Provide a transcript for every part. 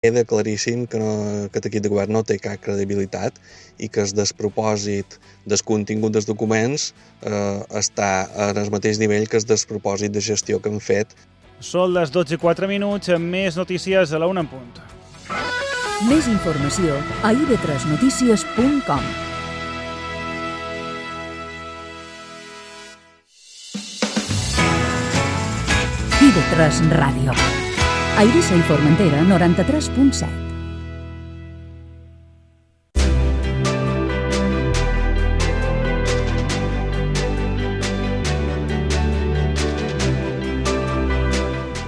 Queda claríssim que aquest equip de govern no té cap credibilitat i que el despropòsit del contingut dels documents està en el mateix nivell que el despropòsit de gestió que han fet. Són les 12:04, més notícies a la 1 en punt. Més informació a ib3notícies.com. IB3 Ràdio. A Eivissa i Formentera, 93.7.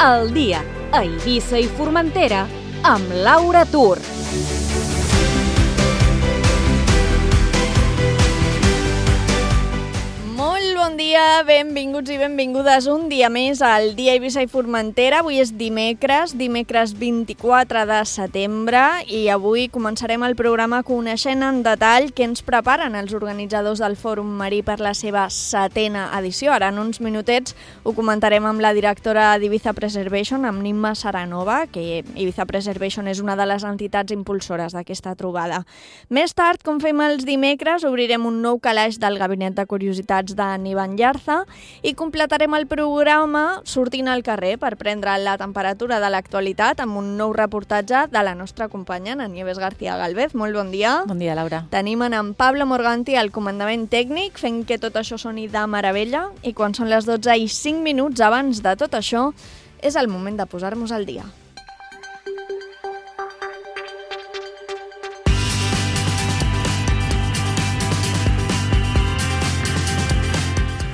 El dia a Eivissa i Formentera amb Laura Tur. Bon dia, benvinguts i benvingudes un dia més al dia Eivissa i Formentera. Avui és dimecres 24 de setembre i avui començarem el programa coneixent en detall què ens preparen els organitzadors del Fòrum Marí per la seva 7a edició. Ara en uns minutets ho comentarem amb la directora d'Ibiza Preservation, amb Nimma Saranova, que Ibiza Preservation és una de les entitats impulsores d'aquesta trobada. Més tard, com fem els dimecres, obrirem un nou calaix del Gabinet de Curiositats de Ivan Llarza i completarem el programa sortint al carrer per prendre la temperatura de l'actualitat amb un nou reportatge de la nostra companya, en Nieves García Galvez. Molt bon dia. Bon dia, Laura. Tenim en Pablo Morganti al comandament tècnic fent que tot això soni de meravella i quan són les 12:05 abans de tot això és el moment de posar-nos al dia.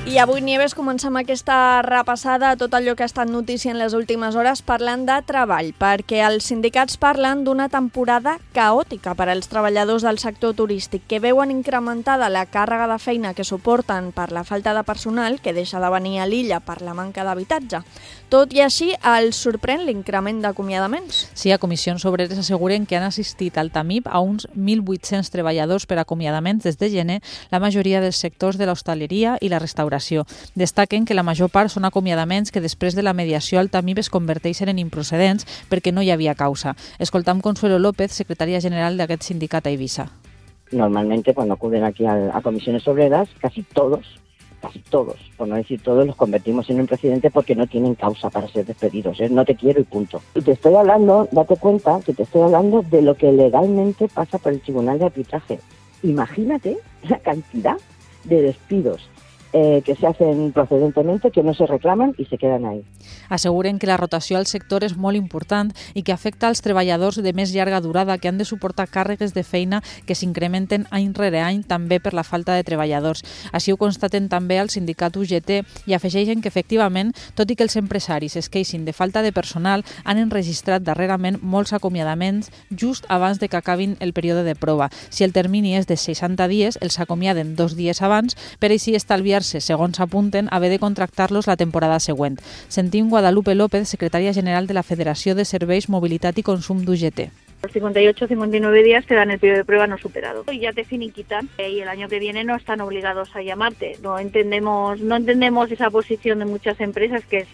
I avui, Nieves, comencem aquesta repassada a tot allò que ha estat notícia en les últimes hores parlant de treball, perquè els sindicats parlen d'una temporada caòtica per als treballadors del sector turístic que veuen incrementada la càrrega de feina que suporten per la falta de personal que deixa de venir a l'illa per la manca d'habitatge. Tot i així, els sorprèn l'increment d'acomiadaments. Sí, a Comissions Obreres asseguren que han assistit al TAMIP a uns 1.800 treballadors per acomiadaments des de gener, la majoria dels sectors de l'hostaleria i la restauració. Destaquen que la major part són acomiadaments que després de la mediació al TAMIP es converteixen en improcedents perquè no hi havia causa. Escoltam Consuelo López, secretària general d'aquest sindicat a Eivissa. Normalmente cuando acuden aquí a comisiones obreras, casi todos, por no decir todos, los convertimos en un precedente porque no tienen causa para ser despedidos. No te quiero y punto. Y te estoy hablando, date cuenta que te estoy hablando de lo que legalmente pasa por el Tribunal de Arbitraje. Imagínate la cantidad de despidos que se hacen procedentemente, que no se reclaman i se queden ahí. Asseguren que la rotació al sector és molt important i que afecta als treballadors de més llarga durada que han de suportar càrregues de feina que s'incrementen any rere any també per la falta de treballadors. Així ho constaten també al sindicat UGT i afegeixen que efectivament, tot i que els empresaris es queixin de falta de personal, han enregistrat darrerament molts acomiadaments just abans de que acabin el període de prova. Si el termini és de 60 dies, els acomiaden 2 dies abans per així estalviar segons apunten, haver de contractar-los la temporada següent. Sentim Guadalupe López, secretària general de la Federació de Serveis, Mobilitat i Consum d'UGT. Los 58 o 59 días te dan el periodo de prueba no superado y ya te finiquitan y el año que viene no están obligados a llamarte. No entendemos esa posición de muchas empresas que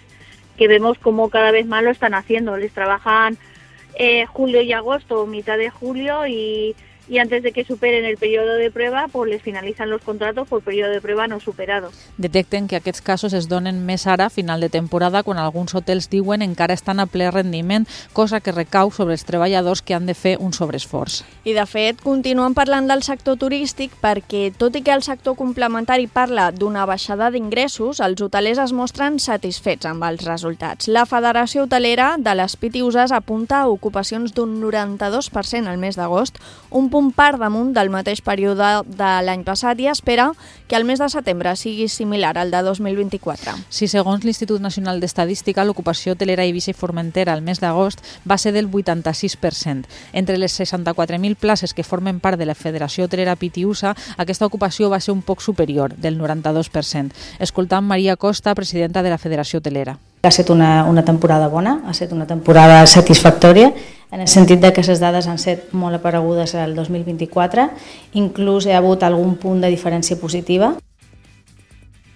vemos como cada vez más lo están haciendo. Les trabajan julio y agosto, mitad de julio y antes de que superen el periodo de prueba, pues les finalizan los contratos por periodo de prueba no superado. Detecten que aquests casos es donen més ara a final de temporada quan alguns hotels diuen encara estan a ple rendiment, cosa que recau sobre els treballadors que han de fer un sobreesforç. I de fet, continuen parlant del sector turístic perquè, tot i que el sector complementari parla d'una baixada d'ingressos, els hotelers es mostren satisfets amb els resultats. La Federació Hotelera de les Pitiüses apunta a ocupacions d'un 92% al mes d'agost, un punt per damunt del mateix període de l'any passat i espera que el mes de setembre sigui similar al de 2024. Sí, segons l'Institut Nacional d'Estadística, l'ocupació hotelera a Eivissa i Formentera al mes d'agost va ser del 86%. Entre les 64.000 places que formen part de la Federació Hotelera Pitiüsa, aquesta ocupació va ser un poc superior, del 92%. Escoltam Maria Costa, presidenta de la Federació Hotelera. Ha estat una temporada bona, ha estat una temporada satisfactòria, en el sentit que les dades han estat molt aparegudes al 2024, inclús hi ha hagut algun punt de diferència positiva.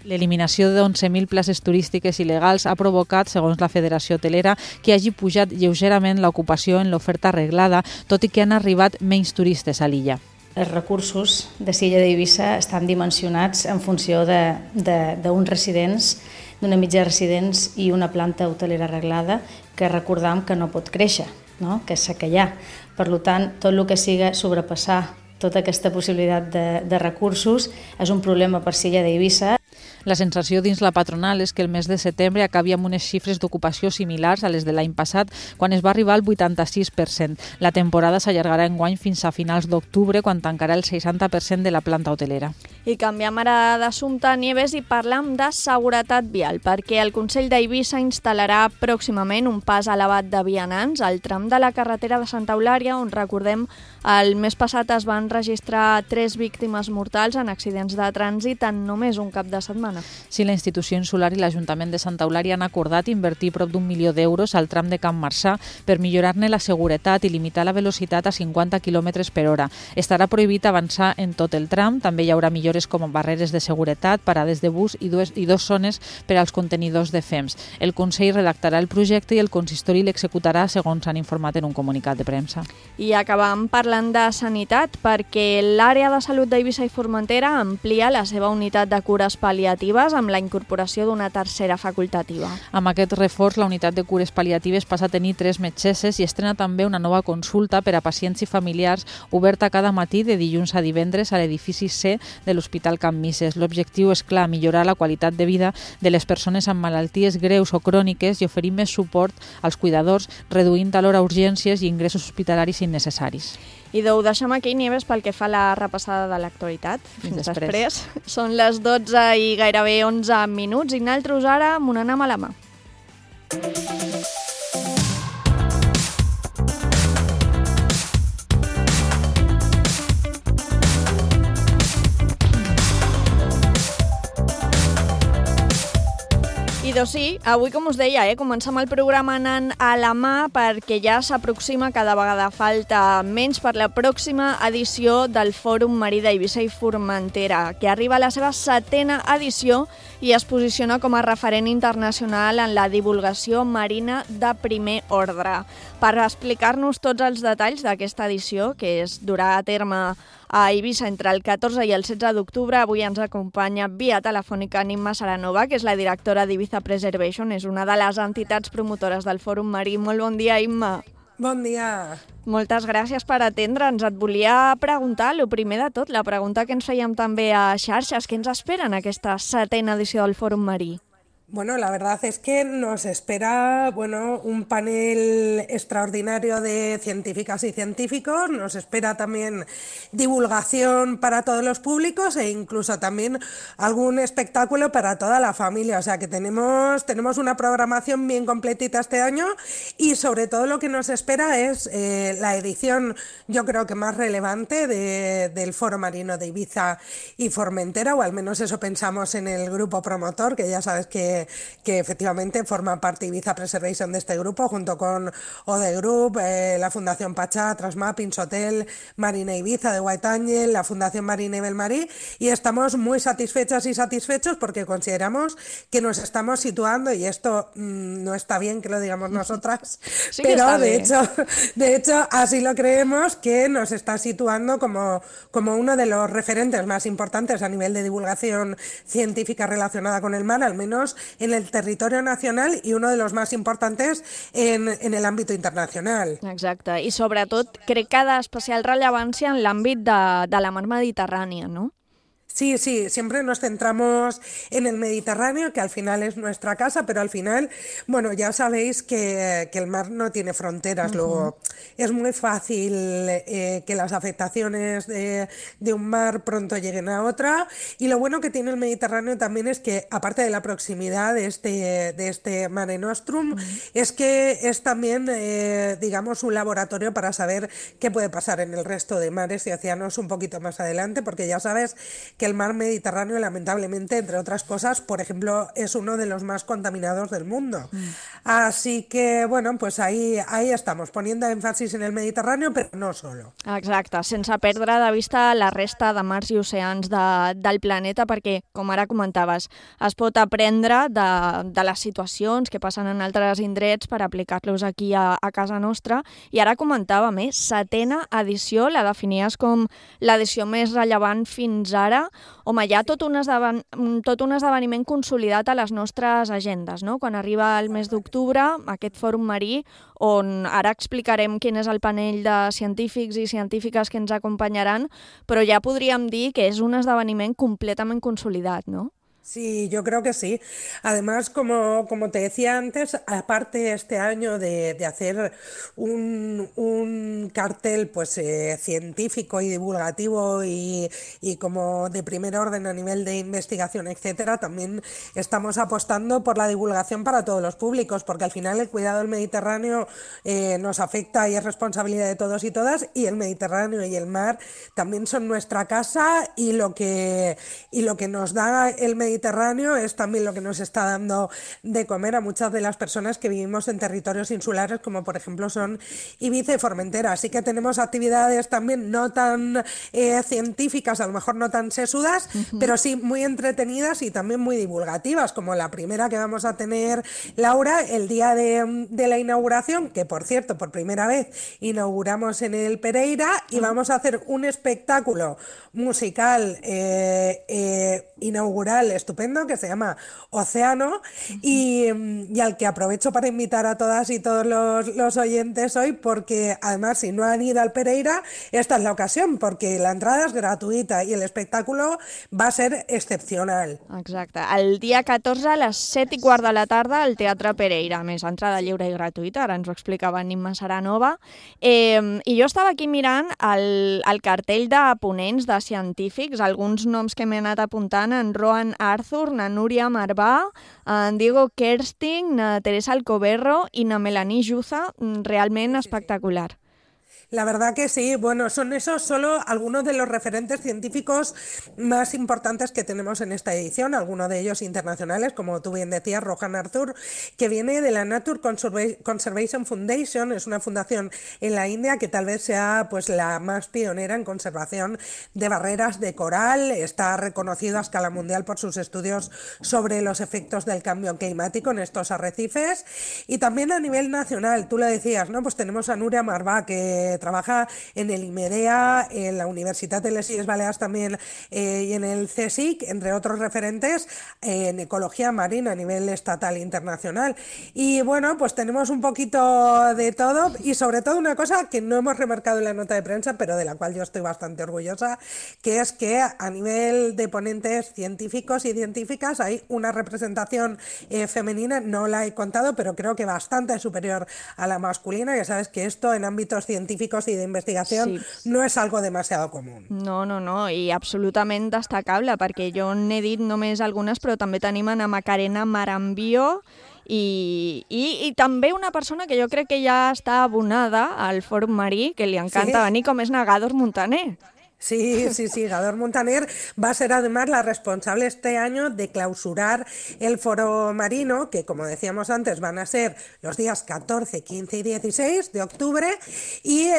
L'eliminació de 11.000 places turístiques il·legals ha provocat, segons la Federació Hotelera, que hagi pujat lleugerament l'ocupació en l'oferta arreglada, tot i que han arribat menys turistes a l'illa. Els recursos de l'illa d'Eivissa estan dimensionats en funció d'uns residents, d'una mitja residents i una planta hotelera arreglada, que recordam que no pot créixer, no? Que és que hi ha. Per tant, tot el que siga sobrepassar tota aquesta possibilitat de recursos és un problema per l'illa d'Eivissa. La sensació dins la patronal és que el mes de setembre acabi amb unes xifres d'ocupació similars a les de l'any passat, quan es va arribar al 86%. La temporada s'allargarà enguany fins a finals d'octubre, quan tancarà el 60% de la planta hotelera. I canviem ara d'assumpte, Nieves, i parlam de seguretat vial, perquè el Consell d'Eivissa instal·larà pròximament un pas elevat de vianants al tram de la carretera de Santa Eulària, on, recordem, el mes passat es van registrar 3 víctimes mortals en accidents de trànsit en només un cap de setmana. Sí, la institució insular i l'Ajuntament de Santa Eulària han acordat invertir prop d'1 milió d'euros al tram de Can Marçà per millorar-ne la seguretat i limitar la velocitat a 50 km per hora. Estarà prohibit avançar en tot el tram, també hi haurà millores com barreres de seguretat, parades de bus i dos zones per als contenidors de fems. El Consell redactarà el projecte i el consistori l'executarà, segons han informat en un comunicat de premsa. I acabam parlant de sanitat, perquè l'àrea de salut d'Eivissa i Formentera amplia la seva unitat de cures pal·liatives amb la incorporació d'una tercera facultativa. Amb aquest reforç, la unitat de cures pal·liatives passa a tenir 3 metgesses i estrena també una nova consulta per a pacients i familiars oberta cada matí de dilluns a divendres a l'edifici C de l'Hospital Can Misses. L'objectiu és clar, millorar la qualitat de vida de les persones amb malalties greus o cròniques i oferir més suport als cuidadors, reduint alhora urgències i ingressos hospitalaris innecessaris. I ho deixem aquí, Nieves, pel que fa a la repassada de l'actualitat. Fins després. Són les 12 i gairebé 11 minuts i nosaltres ara amb un anam a la mà. I doncs sí, avui, com us deia, comencem el programa anant a la mà perquè ja s'aproxima, cada vegada falta menys per la pròxima edició del Fòrum Marí d'Eivissa i Formentera, que arriba a la seva 7ª edició i es posiciona com a referent internacional en la divulgació marina de primer ordre. Per explicar-nos tots els detalls d'aquesta edició, que es durà a terme a Eivissa entre el 14 i el 16 d'octubre, avui ens acompanya via telefònica Imma Saranova, que és la directora d'Ibiza Preservation, és una de les entitats promotores del Fòrum Marí. Molt bon dia, Imma. Bon dia. Moltes gràcies per atendre'ns. Et volia preguntar, el primer de tot, la pregunta que ens fèiem també a xarxes, què ens espera en aquesta 7ª edició del Fòrum Marí? Bueno, la verdad es que nos espera, un panel extraordinario de científicas y científicos, nos espera también divulgación para todos los públicos e incluso también algún espectáculo para toda la familia, o sea que tenemos una programación bien completita este año y sobre todo lo que nos espera es la edición, yo creo que más relevante del Foro Marino de Ibiza y Formentera, o al menos eso pensamos en el grupo promotor, que ya sabes que efectivamente forma parte Ibiza Preservation de este grupo, junto con Ode Group, la Fundación Pachá, Transmapping, Sotel, Marina Ibiza de White Angel, la Fundación Marina Belmarí, y estamos muy satisfechas y satisfechos porque consideramos que nos estamos situando, y esto no está bien que lo digamos nosotras, sí, pero de hecho así lo creemos, que nos está situando como uno de los referentes más importantes a nivel de divulgación científica relacionada con el mar, al menos en el territorio nacional, y uno de los más importantes en el àmbit internacional. Exacte, i sobretot crec que d'especial rellevància en l'àmbit de la mar Mediterrània, no? Sí, siempre nos centramos en el Mediterráneo, que al final es nuestra casa, pero al final, ya sabéis que el mar no tiene fronteras. Luego es muy fácil que las afectaciones de un mar pronto lleguen a otra, y lo bueno que tiene el Mediterráneo también es que, aparte de la proximidad de este Mare Nostrum, es que es también, digamos, un laboratorio para saber qué puede pasar en el resto de mares y océanos un poquito más adelante, porque ya sabes que el mar Mediterráneo, lamentablemente, entre otras cosas, por ejemplo, es uno de los más contaminados del mundo. Así que, bueno, pues ahí estamos, poniendo énfasis en el Mediterráneo, però no solo. Exacte, sense perdre de vista la resta de mars i oceans del planeta, perquè, com ara comentaves, es pot aprendre de les situacions que passen en altres indrets per aplicar-los aquí a casa nostra. I ara comentava més, 7ª edició, la definies com l'edició més rellevant fins ara. Home, hi ha tot un esdeveniment consolidat a les nostres agendes, no? Quan arriba el mes d'octubre, aquest fòrum marí, on ara explicarem quin és el panell de científics i científiques que ens acompanyaran, però ja podríem dir que és un esdeveniment completament consolidat, no? Sí, yo creo que sí. Además, como te decía antes, aparte este año de hacer un cartel pues científico y divulgativo y como de primer orden a nivel de investigación, etcétera, también estamos apostando por la divulgación para todos los públicos, porque al final el cuidado del Mediterráneo nos afecta y es responsabilidad de todos y todas, y el Mediterráneo y el mar también son nuestra casa, y lo que nos da el Mediterráneo es también lo que nos está dando de comer a muchas de las personas que vivimos en territorios insulares, como por ejemplo son Ibiza y Formentera. Así que tenemos actividades también no tan científicas, a lo mejor no tan sesudas, pero sí muy entretenidas y también muy divulgativas, como la primera que vamos a tener, Laura, el día de la inauguración, que por cierto, por primera vez inauguramos en el Pereira, y vamos a hacer un espectáculo musical inaugural estupendo que se llama Océano, y al que aprovecho para invitar a todas y todos los oyentes hoy, porque además si no han ido al Pereira, esta es la ocasión, porque la entrada es gratuïta i l'espectacle va ser excepcional. Exacte. El dia 14 a les 7:15 de la tarda al Teatre Pereira. A més, entrada lliure i gratuïta, ara ens ho explicava Nimma Saranova. I jo estava aquí mirant el cartell de ponents, de científics, alguns noms que m'he anat apuntant, en Rohan Arthur, na Núria Marvà, en Diego Kersting, na Teresa Alcoberro i na Melanie Juza, realment espectacular. La verdad que sí, bueno, son esos solo algunos de los referentes científicos más importantes que tenemos en esta edición, algunos de ellos internacionales, como tú bien decías, Rohan Arthur, que viene de la Nature Conservation Foundation, es una fundación en la India que tal vez sea pues la más pionera en conservación de barreras de coral, está reconocido a escala mundial por sus estudios sobre los efectos del cambio climático en estos arrecifes, y también a nivel nacional, tú lo decías, ¿no? Pues tenemos a Núria Marvà, que trabaja en el IMEDEA, en la Universitat de les Illes Balears también, y en el CSIC, entre otros referentes en ecología marina a nivel estatal e internacional. Y bueno, pues tenemos un poquito de todo, y sobre todo una cosa que no hemos remarcado en la nota de prensa, pero de la cual yo estoy bastante orgullosa, que es que a nivel de ponentes científicos y científicas hay una representación femenina, no la he contado, pero creo que bastante superior a la masculina. Ya sabes que esto en ámbitos científicos i d'investigació no és algo demasiado común. No, i absolutament destacable, perquè jo n'he dit només algunes, però també tenim a Macarena Marambio i també una persona que jo crec que ja està abonada al Fòrum Marí, que li encanta venir, com és Gador Montaner. Sí, Gador Montaner va a ser además la responsable este año de clausurar el foro marino, que como decíamos antes van a ser los días 14, 15 y 16 de octubre, y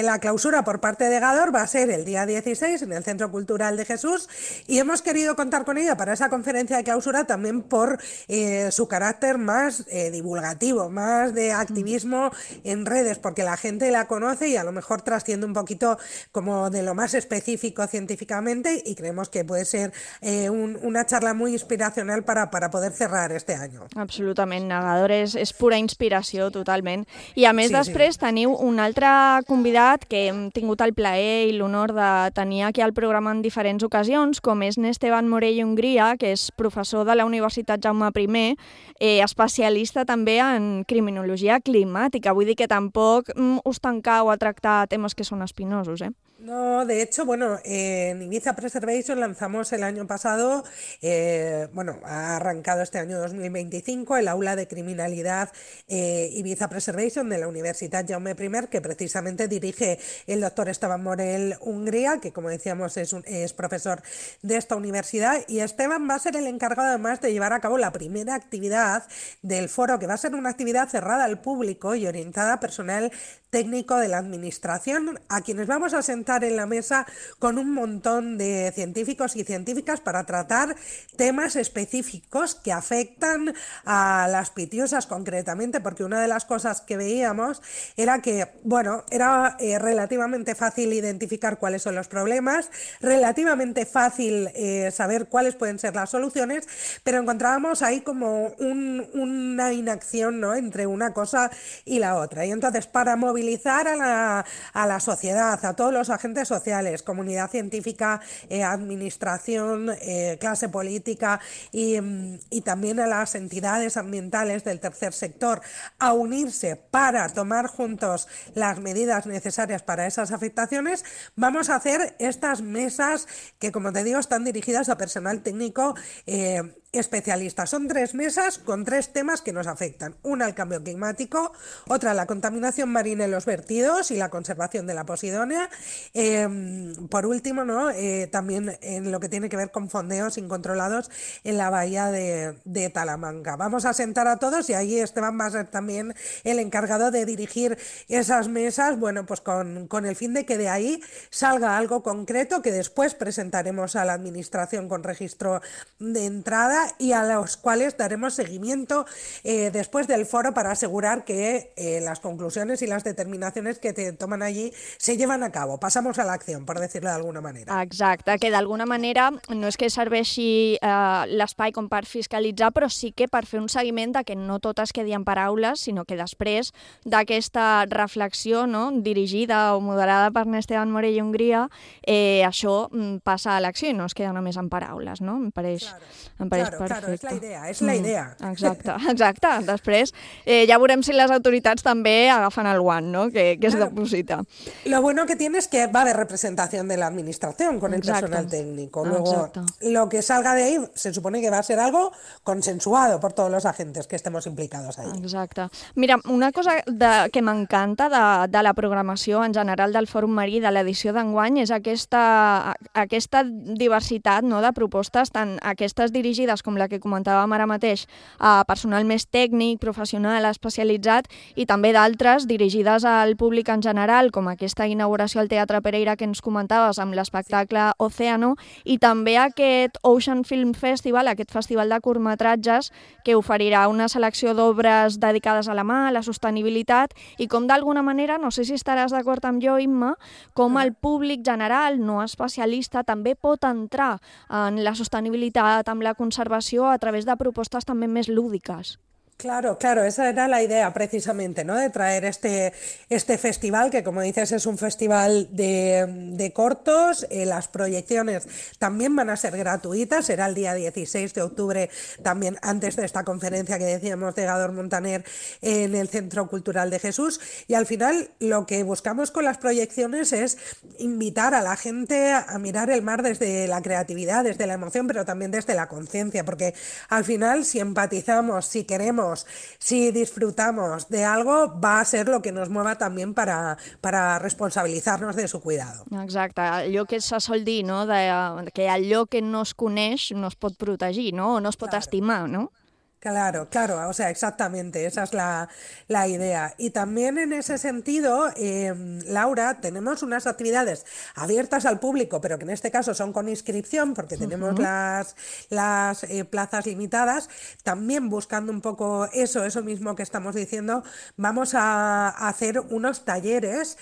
la clausura por parte de Gador va a ser el día 16 en el Centro Cultural de Jesús, y hemos querido contar con ella para esa conferencia de clausura también por su carácter más divulgativo, más de activismo en redes, porque la gente la conoce y a lo mejor trasciende un poquito como de lo más específico científicamente, y creemos que puede ser una charla muy inspiracional para poder cerrar este año. Absolutament, Gador és pura inspiració, totalment. I a més després teniu un altre convidat que hem tingut el plaer i l'honor de tenir aquí al programa en diferents ocasions, com és Esteban Morell Hongria, que és professor de la Universitat Jaume I, especialista també en criminologia climàtica. Vull dir que tampoc us tancau a tractar temes que són espinosos, No, de hecho hecho, bueno, en Ibiza Preservation lanzamos el año pasado, ha arrancado este año 2025 el aula de criminalidad Ibiza Preservation de la Universidad Jaume I, que precisamente dirige el doctor Esteban Morel Hungría, que como decíamos es profesor de esta universidad, y Esteban va a ser el encargado además de llevar a cabo la primera actividad del foro, que va a ser una actividad cerrada al público y orientada a personal técnico de la administración, a quienes vamos a sentar en la mesa con un montón de científicos y científicas para tratar temas específicos que afectan a las pitiusas concretamente, porque una de las cosas que veíamos era que, era relativamente fácil identificar cuáles son los problemas, relativamente fácil saber cuáles pueden ser las soluciones, pero encontrábamos ahí como una inacción, ¿no?, entre una cosa y la otra. Y entonces, para movilizar a la sociedad, a todos los agentes sociales, comunidad científica, administración, clase política y también a las entidades ambientales del tercer sector, a unirse para tomar juntos las medidas necesarias para esas afectaciones, vamos a hacer estas mesas que, como te digo, están dirigidas a personal técnico especialistas. Son 3 mesas con 3 temas que nos afectan. Una, el cambio climático; otra, la contaminación marina en los vertidos y la conservación de la posidonia; por último, también en lo que tiene que ver con fondeos incontrolados en la bahía de Talamanca. Vamos a sentar a todos y ahí Esteban va a ser también el encargado de dirigir esas mesas, pues con el fin de que de ahí salga algo concreto que después presentaremos a la administración con registro de entrada y a los cuales daremos seguimiento después del foro para asegurar que las conclusiones y las determinaciones que te toman allí se llevan a cabo. Pasamos a la acción, por decirlo de alguna manera. Exacte, que d'alguna manera no és que serveixi l'espai com per fiscalitzar, però sí que per fer un seguiment de que no tot es quedi en paraules, sinó que després d'aquesta reflexió, no, dirigida o moderada per Esteban Morell Hungría, això passa a l'acció i no es queda només en paraules, no? Em pareix perfecte. Claro, és la idea. Exacte. Després ja veurem si les autoritats també agafen el guant, ¿no?, que es deposita. Lo bueno que tiene es que va a haber representación de la administración con el personal técnico. Luego, lo que salga de ahí se supone que va a ser algo consensuado por todos los agentes que estemos implicados ahí. Exacte. Mira, una cosa que m'encanta de la programació en general del Fòrum Marí de l'edició d'enguany és aquesta diversitat, no, de propostes, tant aquestes dirigides com la que comentàvem ara mateix a personal més tècnic, professional, especialitzat, i també d'altres dirigides al públic en general, com aquesta inauguració al Teatre Pereira que ens comentaves amb l'espectacle Océano, i també aquest Ocean Film Festival, aquest festival de curtmetratges que oferirà una selecció d'obres dedicades a la mà, a la sostenibilitat, i com d'alguna manera, no sé si estaràs d'acord amb jo, Imma, com el públic general, no especialista, també pot entrar en la sostenibilitat, amb la conservació, a través de propostes també més lúdiques. Claro, esa era la idea precisamente, ¿no?, de traer este festival, que como dices es un festival de cortos. Las proyecciones también van a ser gratuitas, será el día 16 de octubre, también antes de esta conferencia que decíamos de Gador Montaner en el Centro Cultural de Jesús, y al final lo que buscamos con las proyecciones es invitar a la gente a mirar el mar desde la creatividad, desde la emoción, pero también desde la conciencia, porque al final si empatizamos, si queremos, si disfrutamos de algo, va a ser lo que nos mueva también para responsabilitzar-nos de su cuidado. Exacte, allò que se sol dir, no?, que allò que no es coneix no es pot protegir, no?, o no es pot estimar, no? Claro, o sea, exactamente, esa es la idea. Y también en ese sentido, Laura, tenemos unas actividades abiertas al público, pero que en este caso son con inscripción, porque tenemos las plazas limitadas. También buscando un poco eso mismo que estamos diciendo, vamos a hacer unos talleres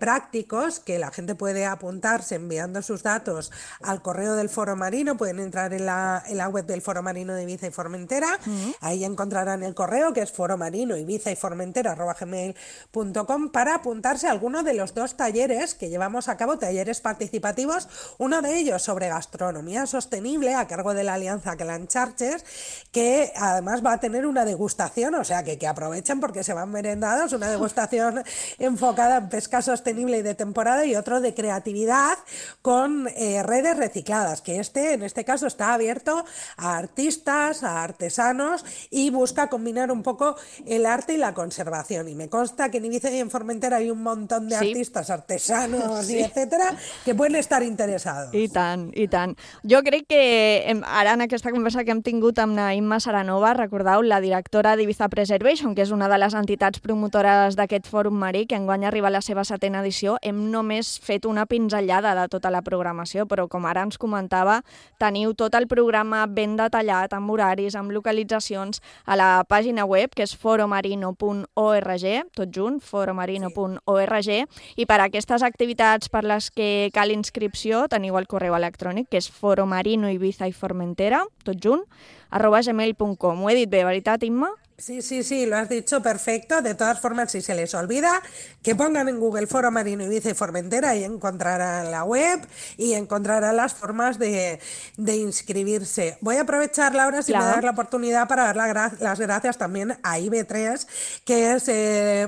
prácticos que la gente puede apuntarse enviando sus datos al correo del Foro Marino. Pueden entrar en la web del Foro Marino de Ibiza y Formentera Formentera. Ahí encontrarán el correo, que es foromarinoibizayformentera@gmail.com, para apuntarse a alguno de los 2 talleres que llevamos a cabo, talleres participativos, uno de ellos sobre gastronomía sostenible a cargo de la Alianza Clan Charches, que además va a tener una degustación, o sea que aprovechen porque se van merendados, una degustación enfocada en pesca sostenible y de temporada, y otro de creatividad con redes recicladas, que en este caso está abierto a artistas, a artesanos, y busca combinar un poco el arte y la conservación. Y me consta que en Ibiza y en Formentera hay un montón de artistes, artesanos i etcètera que poden estar interessats. I tant, i tant. Jo crec que ara en aquesta conversa que hem tingut amb la Imma Saranova, recordeu, la directora d'Ibiza Preservation, que és una de les entitats promotores d'aquest fòrum marí, que enguany arriba a la seva 7ª edició, hem només fet una pinzellada de tota la programació, però com ara ens comentava, teniu tot el programa ben detallat, amb horaris, amb localitzacions, a la pàgina web, que és foromarino.org, tot junt, foromarino.org, i per a aquestes activitats per les que cal inscripció teniu el correu electrònic, que és foromarinoibizayformentera, tot junt, @gmail.com. Ho he dit bé, veritat, Imma? Sí, lo has dicho perfecto. De todas formas, si se les olvida, que pongan en Google Foro Marino Ibiza y Formentera y encontrarán la web y encontrarán las formas de inscribirse. Voy a aprovechar, Laura, si me das la oportunidad, para dar las gracias también a IB3, que es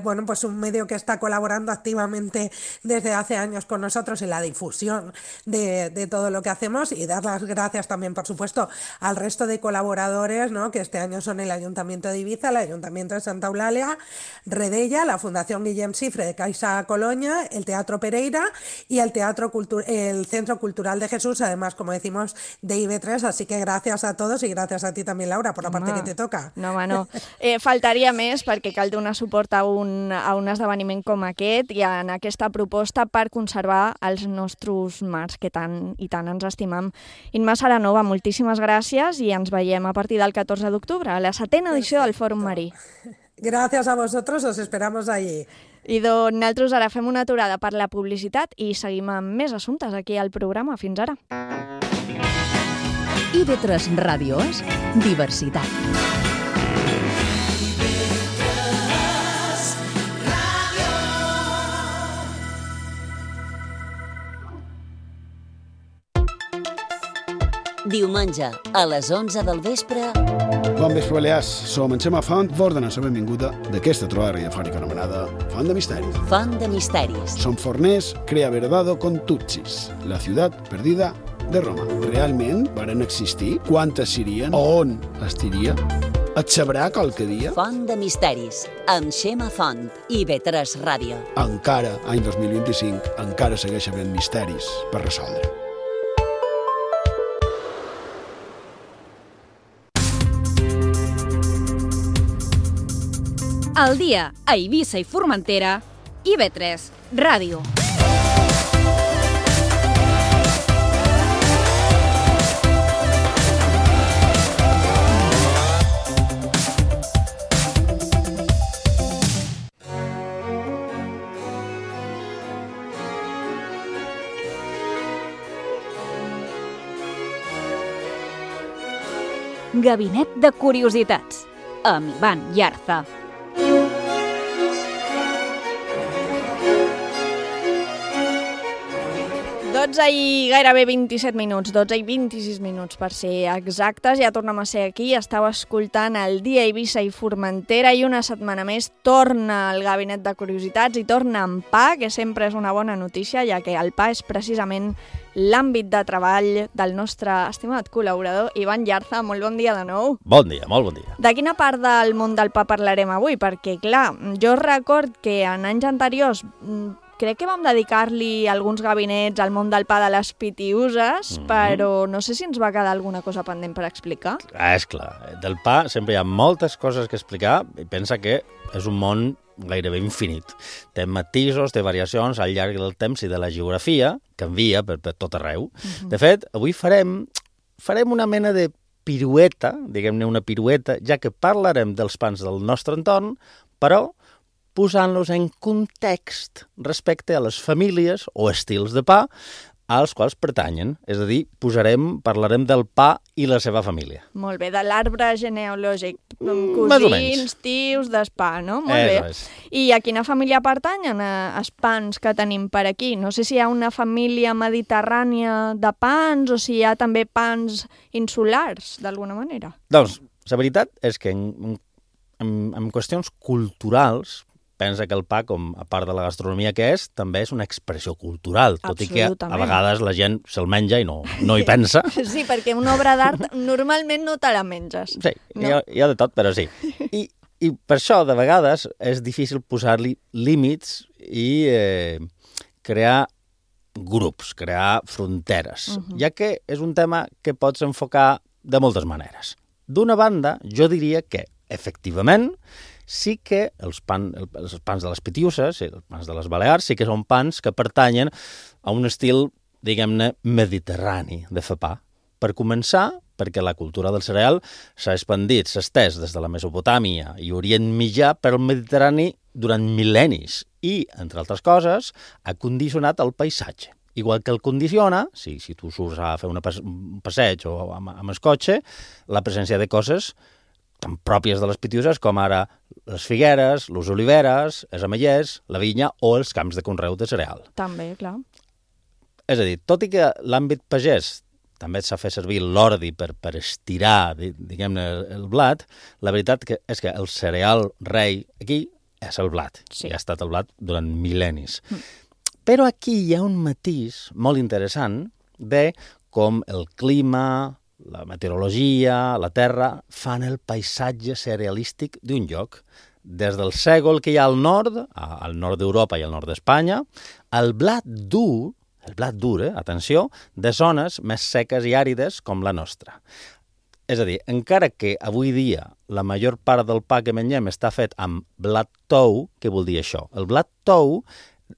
pues un medio que está colaborando activamente desde hace años con nosotros en la difusión de todo lo que hacemos, y dar las gracias también, por supuesto, al resto de colaboradores, ¿no?, que este año son el Ayuntamiento de Ibiza, el Ayuntamiento de Santa Eulàlia, Redella, la Fundación Guillem Cifre de Caixa Colonia, el Teatro Pereira y el Centro Cultural de Jesús, además, como decimos, de IB3. Así que gracias a todos, y gracias a ti también, Laura, por la parte que te toca. No. Faltaria més, perquè cal donar suport a un esdeveniment com aquest i en aquesta proposta per conservar els nostres mars, que tant i tant ens estimam. Imma Saranova, moltíssimes gràcies, i ens veiem a partir del 14 d'octubre, a la 7ª edició del Fòrum Marí. Gracias a vosotros, os esperamos allí. I doncs nosaltres ara fem una aturada per la publicitat i seguim amb més assumptes aquí al programa. Fins ara. IB3 Ràdio és diversitat. Diumenge, a les 11 del vespre... Bon vespre, Balears. Som en Xema Font, vos donem la benvinguda d'aquesta trobada radiofònica anomenada Font de Misteris. Font de Misteris. Som forners, crea verdado con Tutsis, la ciutat perdida de Roma. Realment varen existir? Quantes serien? On estiria? Et sabrà qualque dia? Font de Misteris, amb Xema Font i IB3 Ràdio. Encara, any 2025, encara segueix havent misteris per resoldre. Al dia a Eivissa i Formentera, IB3 Ràdio. Gabinet de Curiositats, amb Ivan Yarza. I gairebé 27 minuts, 12 i 26 minuts per ser exactes. Ja tornem a ser aquí, estàu escoltant el Dia Eivissa i Formentera, i una setmana més torna el Gabinet de Curiositats i torna en PA, que sempre és una bona notícia, ja que el PA és precisament l'àmbit de treball del nostre estimat col·laborador Ivan Yarza. Molt bon dia de nou. Bon dia, molt bon dia. De quina part del món del PA parlarem avui? Perquè, clar, jo record que en anys anteriors crec que vam dedicar-li alguns gabinets al món del PA de les pitiuses, però no sé si ens va quedar alguna cosa pendent per explicar. És clar, del PA sempre hi ha moltes coses que explicar, i pensa que és un món gairebé infinit. Té matisos, té variacions al llarg del temps i de la geografia, canvia per tot arreu. De fet, avui farem una mena de pirueta, diguem-ne una pirueta, ja que parlarem dels pans del nostre entorn, però posant-los en context respecte a les famílies o estils de pa als quals pertanyen. És a dir, parlarem del pa i la seva família. Molt bé, de l'arbre genealògic. Més o menys. Cosins, tios, d'espa, no? Molt bé. És. I a quina família pertanyen els pans que tenim per aquí? No sé si hi ha una família mediterrània de pans o si hi ha també pans insulars, d'alguna manera. Doncs, la veritat és que en qüestions culturals, pensa que el pa, com a part de la gastronomia que és, també és una expressió cultural, tot i que a vegades la gent se'l menja i no hi pensa. Sí, perquè una obra d'art normalment no te la menges. Sí, no? hi ha de tot, però sí. I per això, de vegades, és difícil posar-li límits i crear grups, crear fronteres, ja que és un tema que pots enfocar de moltes maneres. D'una banda, jo diria que, efectivament, sí que els pans de les Pitiuses, els pans de les Balears, sí que són pans que pertanyen a un estil, diguem-ne, mediterrani de fer pa. Per començar, perquè la cultura del cereal s'ha expandit, s'ha estès des de la Mesopotàmia i Orient Mitjà per al Mediterrani durant mil·lennis i, entre altres coses, ha condicionat el paisatge. Igual que el condiciona, si tu surts a fer un passeig o amb el cotxe, la presència de coses tan pròpies de les Pitiuses com ara les figueres, les oliveres, els ametllers, la vinya o els camps de conreu de cereal. També, clar. És a dir, tot i que l'àmbit pagès també s'ha fet servir l'ordi per estirar, diguem-ne, el blat, la veritat és que el cereal rei aquí és el blat. Sí. I ha estat el blat durant mil·lennis. Però aquí hi ha un matís molt interessant de com el clima, la meteorologia, la terra, fan el paisatge cerealístic d'un lloc. Des del sègol que hi ha al nord d'Europa i al nord d'Espanya, el blat dur, atenció, de zones més seques i àrides com la nostra. És a dir, encara que avui dia la major part del pa que mengem està fet amb blat tou, què vol dir això? El blat tou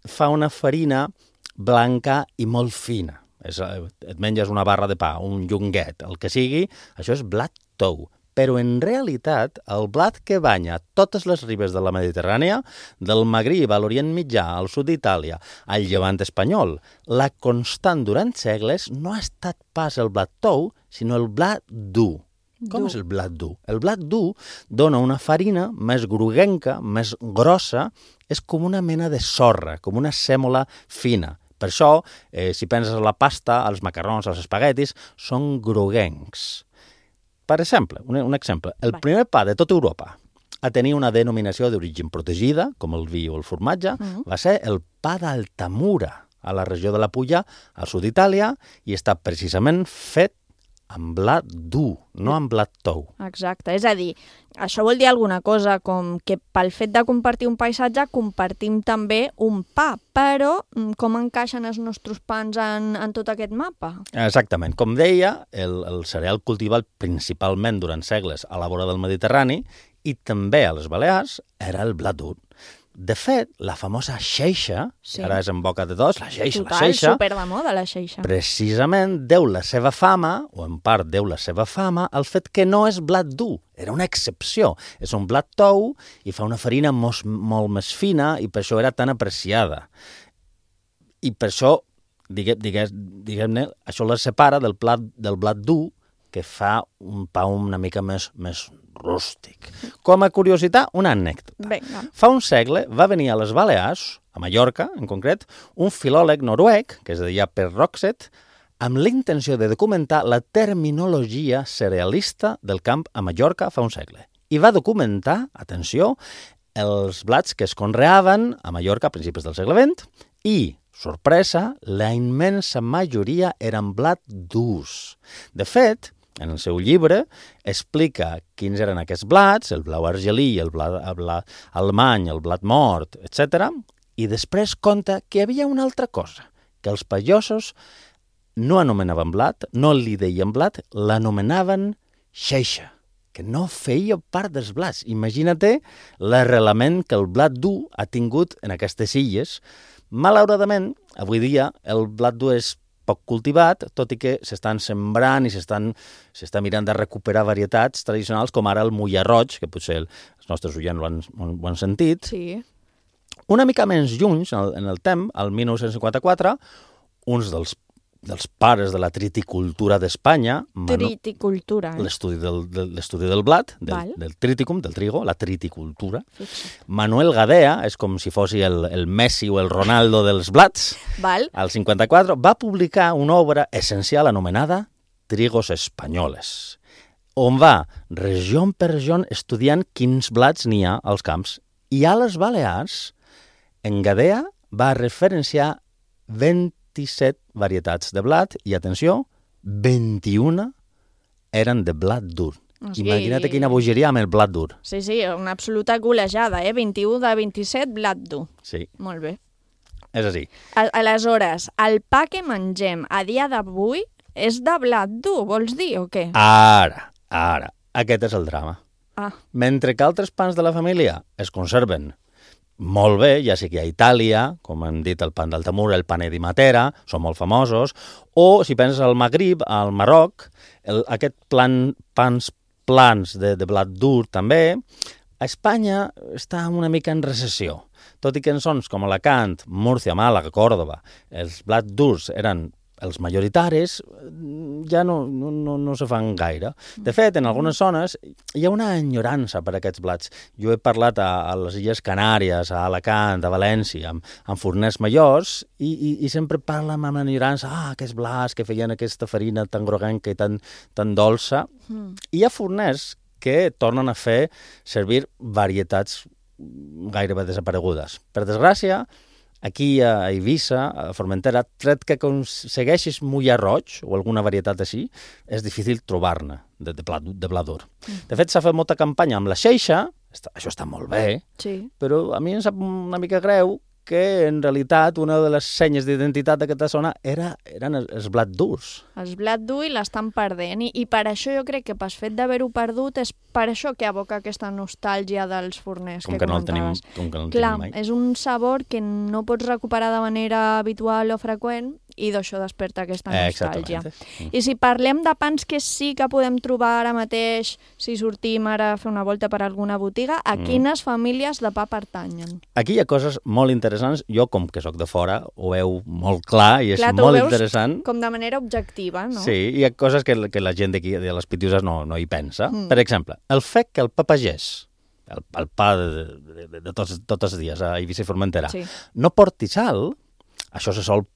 fa una farina blanca i molt fina. Et menges una barra de pa, un llonguet, el que sigui, això és blat tou. Però en realitat el blat que banya totes les ribes de la Mediterrània, del Magrib a l'Orient Mitjà, al sud d'Itàlia, al llevant espanyol, la constant durant segles no ha estat pas el blat tou, sinó el blat dur. Com és el blat dur? El blat dur dona una farina més groguenca, més grossa, és com una mena de sorra, com una sèmola fina. Per això, si penses a la pasta, als macarrons, als espaguetis, són groguencs. Per exemple, un exemple, el primer pa de tota Europa a tenir una denominació d'origen protegida, com el vi o el formatge, va ser el pa d'Altamura, a la regió de la Pulla, al sud d'Itàlia, i està precisament fet amb blat dur, no amb blat tou. Exacte, és a dir, això vol dir alguna cosa, com que pel fet de compartir un paisatge compartim també un pa, però com encaixen els nostres pans en tot aquest mapa? Exactament. Com deia, el cereal cultivat principalment durant segles a la vora del Mediterrani i també a les Balears era el blat dur. De fet, la famosa xeixa, que ara és en boca de tots, la xeixa, Total, super de moda, la xeixa. Precisament deu la seva fama, o en part deu la seva fama, al fet que no és blat dur, era una excepció. És un blat tou i fa una farina molt més fina i per això era tan apreciada. I per això, diguem-ne, això la separa del blat dur, que fa un pa una mica més rústic. Com a curiositat, una anècdota. Vinga. Fa un segle va venir a les Balears, a Mallorca en concret, un filòleg noruec, que es deia Per Roxet, amb la intenció de documentar la terminologia cerealista del camp a Mallorca fa un segle. I va documentar, atenció, els blats que es conreaven a Mallorca a principis del segle XX i, sorpresa, la immensa majoria eren blat durs. De fet, en el seu llibre explica quins eren aquests blats, el blau argelí, el blat alemany, el blat mort, etc. I després conta que hi havia una altra cosa, que els pagesos no anomenaven blat, no li deien blat, l'anomenaven xeixa, que no feia part dels blats. Imagina't l'arrelament que el blat dur ha tingut en aquestes illes. Malauradament, avui dia, el blat dur és poc cultivat, tot i que s'estan sembrant i s'està mirant de recuperar varietats tradicionals, com ara el mulla roig, que potser els nostres oients ho han sentit. Sí. Una mica menys lluny, en el temps, el 1954, uns dels dels pares de la triticultura d'Espanya. Triticultura, L'estudi del blat, del triticum, del trigo, la triticultura. Manuel Gadea, és com si fos el Messi o el Ronaldo dels blats. Al 54 va publicar una obra essencial anomenada Trigos Espanyoles, on va regió per regió estudiant quins blats n'hi ha als camps. I a les Balears, en Gadea va referenciar 27 varietats de blat i, atenció, 21 eren de blat dur. Imagina't quina bogeria amb el blat dur. Sí, una absoluta golejada, 21 de 27, blat dur. Sí. Molt bé. És així. Aleshores, el pa que mengem a dia d'avui és de blat dur, vols dir, o què? Ara, aquest és el drama. Mentre que altres pans de la família es conserven molt bé, ja sigui a Itàlia, com hem dit, el pan d'Altamura, el pané di Matera, són molt famosos, o si penses al Magrib, al Marroc, aquest pans plans de blat dur també, a Espanya està una mica en recessió. Tot i que en zones com Alacant, Múrcia, Màlaga, Còrdova, els blats durs eren els majoritaris, ja no se fan gaire. De fet, en algunes zones hi ha una enyorança per aquests blats. Jo he parlat a les Illes Canàries, a Alacant, a València, amb forners majors, i sempre parlen amb enyorança, aquests blats que feien aquesta farina tan groguenca i tan dolça. I hi ha forners que tornen a fer servir varietats gairebé desaparegudes. Per desgràcia, aquí a Eivissa, a Formentera, tret que aconsegueixis mullar roig o alguna varietat així, és difícil trobar-ne de blat dur. De fet, s'ha fet molta campanya amb la xeixa, això està molt bé, però a mi em sap una mica greu que en realitat una de les senyes d'identitat d'aquesta zona eren els blat durs. Els blat dur i l'estan perdent, i per això jo crec que pel fet d'haver-ho perdut és per això que evoca aquesta nostàlgia dels forners que comentaves. Com que no el tenim mai. És un sabor que no pots recuperar de manera habitual o freqüent, i d'això desperta aquesta nostàlgia. I si parlem de pans que sí que podem trobar ara mateix, si sortim ara a fer una volta per alguna botiga, a quines famílies de pa pertanyen? Aquí hi ha coses molt interessants. Jo, com que sóc de fora, ho veu molt clar i és molt interessant. Com de manera objectiva, no? Sí, hi ha coses que la gent d'aquí, de les Pitiuses, no hi pensa. Per exemple, el fet que el pa pagès, el pa de tots els dies a Eivissa i Formentera, no porti sal, això se sol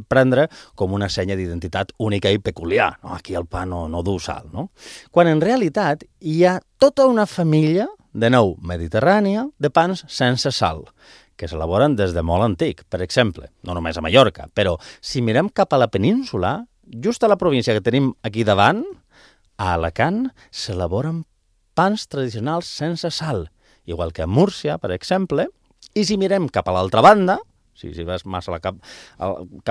prendre com una senya d'identitat única i peculiar. Aquí el pa no du sal, no? Quan en realitat hi ha tota una família, de nou mediterrània, de pans sense sal, que s'elaboren des de molt antic. Per exemple, no només a Mallorca, però si mirem cap a la península, just a la província que tenim aquí davant, a Alacant, s'elaboren pans tradicionals sense sal, igual que a Múrcia, per exemple, i si mirem cap a l'altra banda, si vas massa cap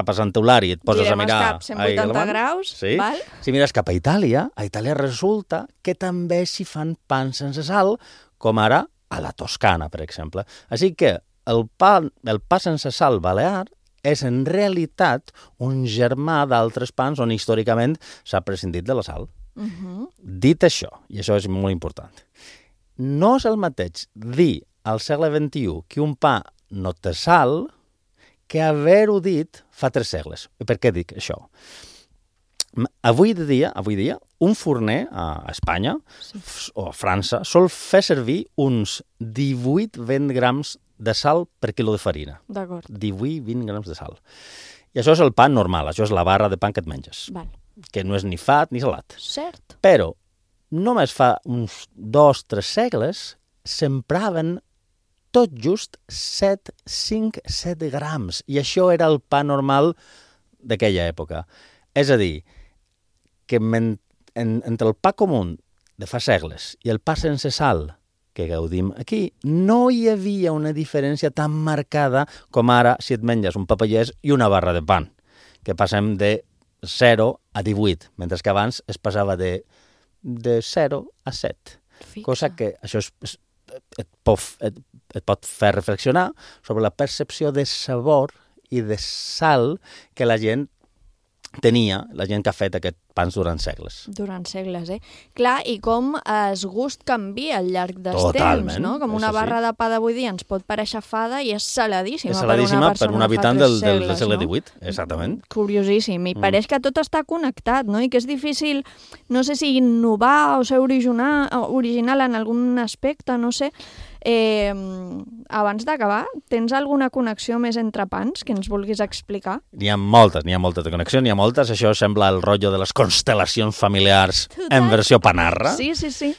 a Sant Eulàri i et poses a mirar... Direm cap 180 graus, val? Si mires cap a Itàlia resulta que també s'hi fan pans sense sal, com ara a la Toscana, per exemple. Així que el pa sense sal balear és en realitat un germà d'altres pans on històricament s'ha prescindit de la sal. Dit això, i això és molt important, no és el mateix dir al segle XXI que un pa no té sal que haver-ho dit fa 3 segles. I per què dic això? Avui dia, un forner a Espanya o a França sol fer servir uns 18-20 grams de sal per quilo de farina. D'acord. 18-20 grams de sal. I això és el pa normal, això és la barra de pa que et menges. Val. Que no és ni fat ni salat. Cert. Però només fa uns 2-3 segles s'empraven tot just 5-7 grams. I això era el pa normal d'aquella època. És a dir, que entre el pa comú de fa segles i el pa sense sal que gaudim aquí, no hi havia una diferència tan marcada com ara si et menges un pa pagès i una barra de pan, que passem de 0 a 18, mentre que abans es passava de 0 a 7. Cosa que això et pot fer reflexionar sobre la percepció de sabor i de sal que la gent tenia la gent que ha fet aquests pans durant segles. Durant segles, Clar, i com el gust canvia al llarg dels Totalment, temps, no? Com una barra de pa d'avui dia ens pot parèixer fada i és saladíssima, és saladíssima per un habitant del segle XVIII, no? exactament. Curiosíssim, i pareix que tot està connectat, no? I que és difícil, no sé si innovar o ser original en algun aspecte, no sé. Abans d'acabar, tens alguna connexió més entre pans que ens vulguis explicar? N'hi ha moltes de connexió, n'hi ha moltes. Això sembla el rotllo de les constel·lacions familiars en versió panarra. Sí.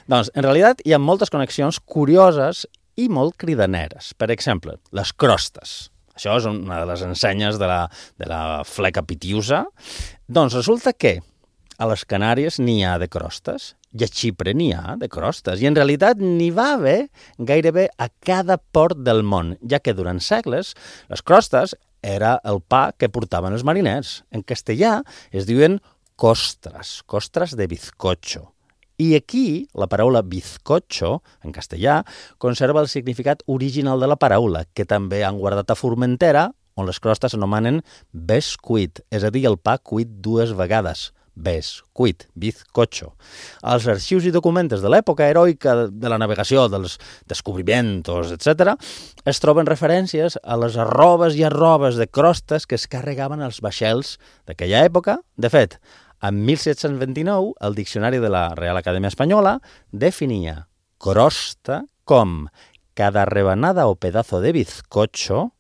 Doncs, en realitat, hi ha moltes connexions curioses i molt cridaneres. Per exemple, les crostes. Això és una de les ensenyes de la fleca pitiusa. Doncs resulta que a les Canàries n'hi ha de crostes i a Xipre n'hi ha de crostes. I en realitat n'hi va haver gairebé a cada port del món, ja que durant segles les crostes era el pa que portaven els mariners. En castellà es diuen costres de bizcocho. I aquí la paraula bizcocho, en castellà, conserva el significat original de la paraula, que també han guardat a Formentera, on les crostes s'anomenen bescuit, és a dir, el pa cuit 2 vegades. Bescuit, bizcocho. Als arxius i documents de l'època heroica de la navegació, dels descobriments, etc., es troben referències a les arrobes i arrobes de crostes que es carregaven als vaixells d'aquella època. De fet, en 1729, el diccionari de la Real Acadèmia Espanyola definia crosta com cada rebanada o pedazo de bizcocho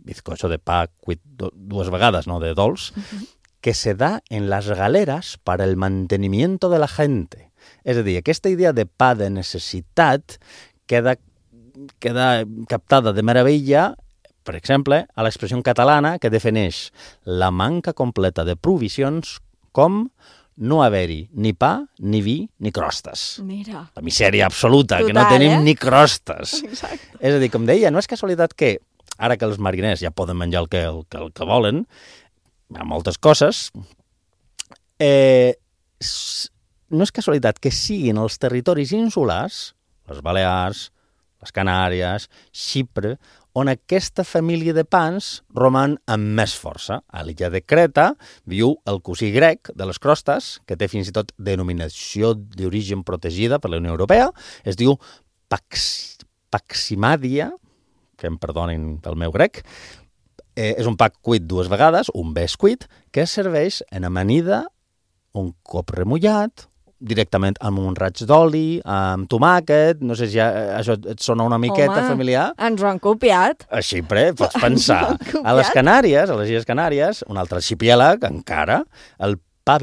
de pa cuit 2 vegades, no de dolç, que se da en las galeras para el mantenimiento de la gente. És a dir, aquesta idea de pa de necessitat queda captada de meravella, per exemple, a l'expressió catalana que defineix la manca completa de provisions com no haver-hi ni pa, ni vi, ni crostes. Mira. La misèria absoluta, total, que no tenim ni crostes. Exacte. És a dir, com deia, no és casualitat que, ara que els mariners ja poden menjar el que volen, hi ha moltes coses, no és casualitat que siguin els territoris insulars, les Balears, les Canàries, Xipre, on aquesta família de pans roman amb més força. A l'illa de Creta viu el cosí grec de les crostes, que té fins i tot denominació d'origen protegida per la Unió Europea, es diu Paximadia, que em perdonin pel meu grec. És un pa cuit 2 vegades, un bescuit, que es serveix en amanida, un cop remullat, directament amb un raig d'oli, amb tomàquet, no sé si això et sona una miqueta familiar. Ens ho han copiat. A Xipre, pots pensar. A les Canàries, a les Illes Canàries, un altre arxipièlag encara, el pan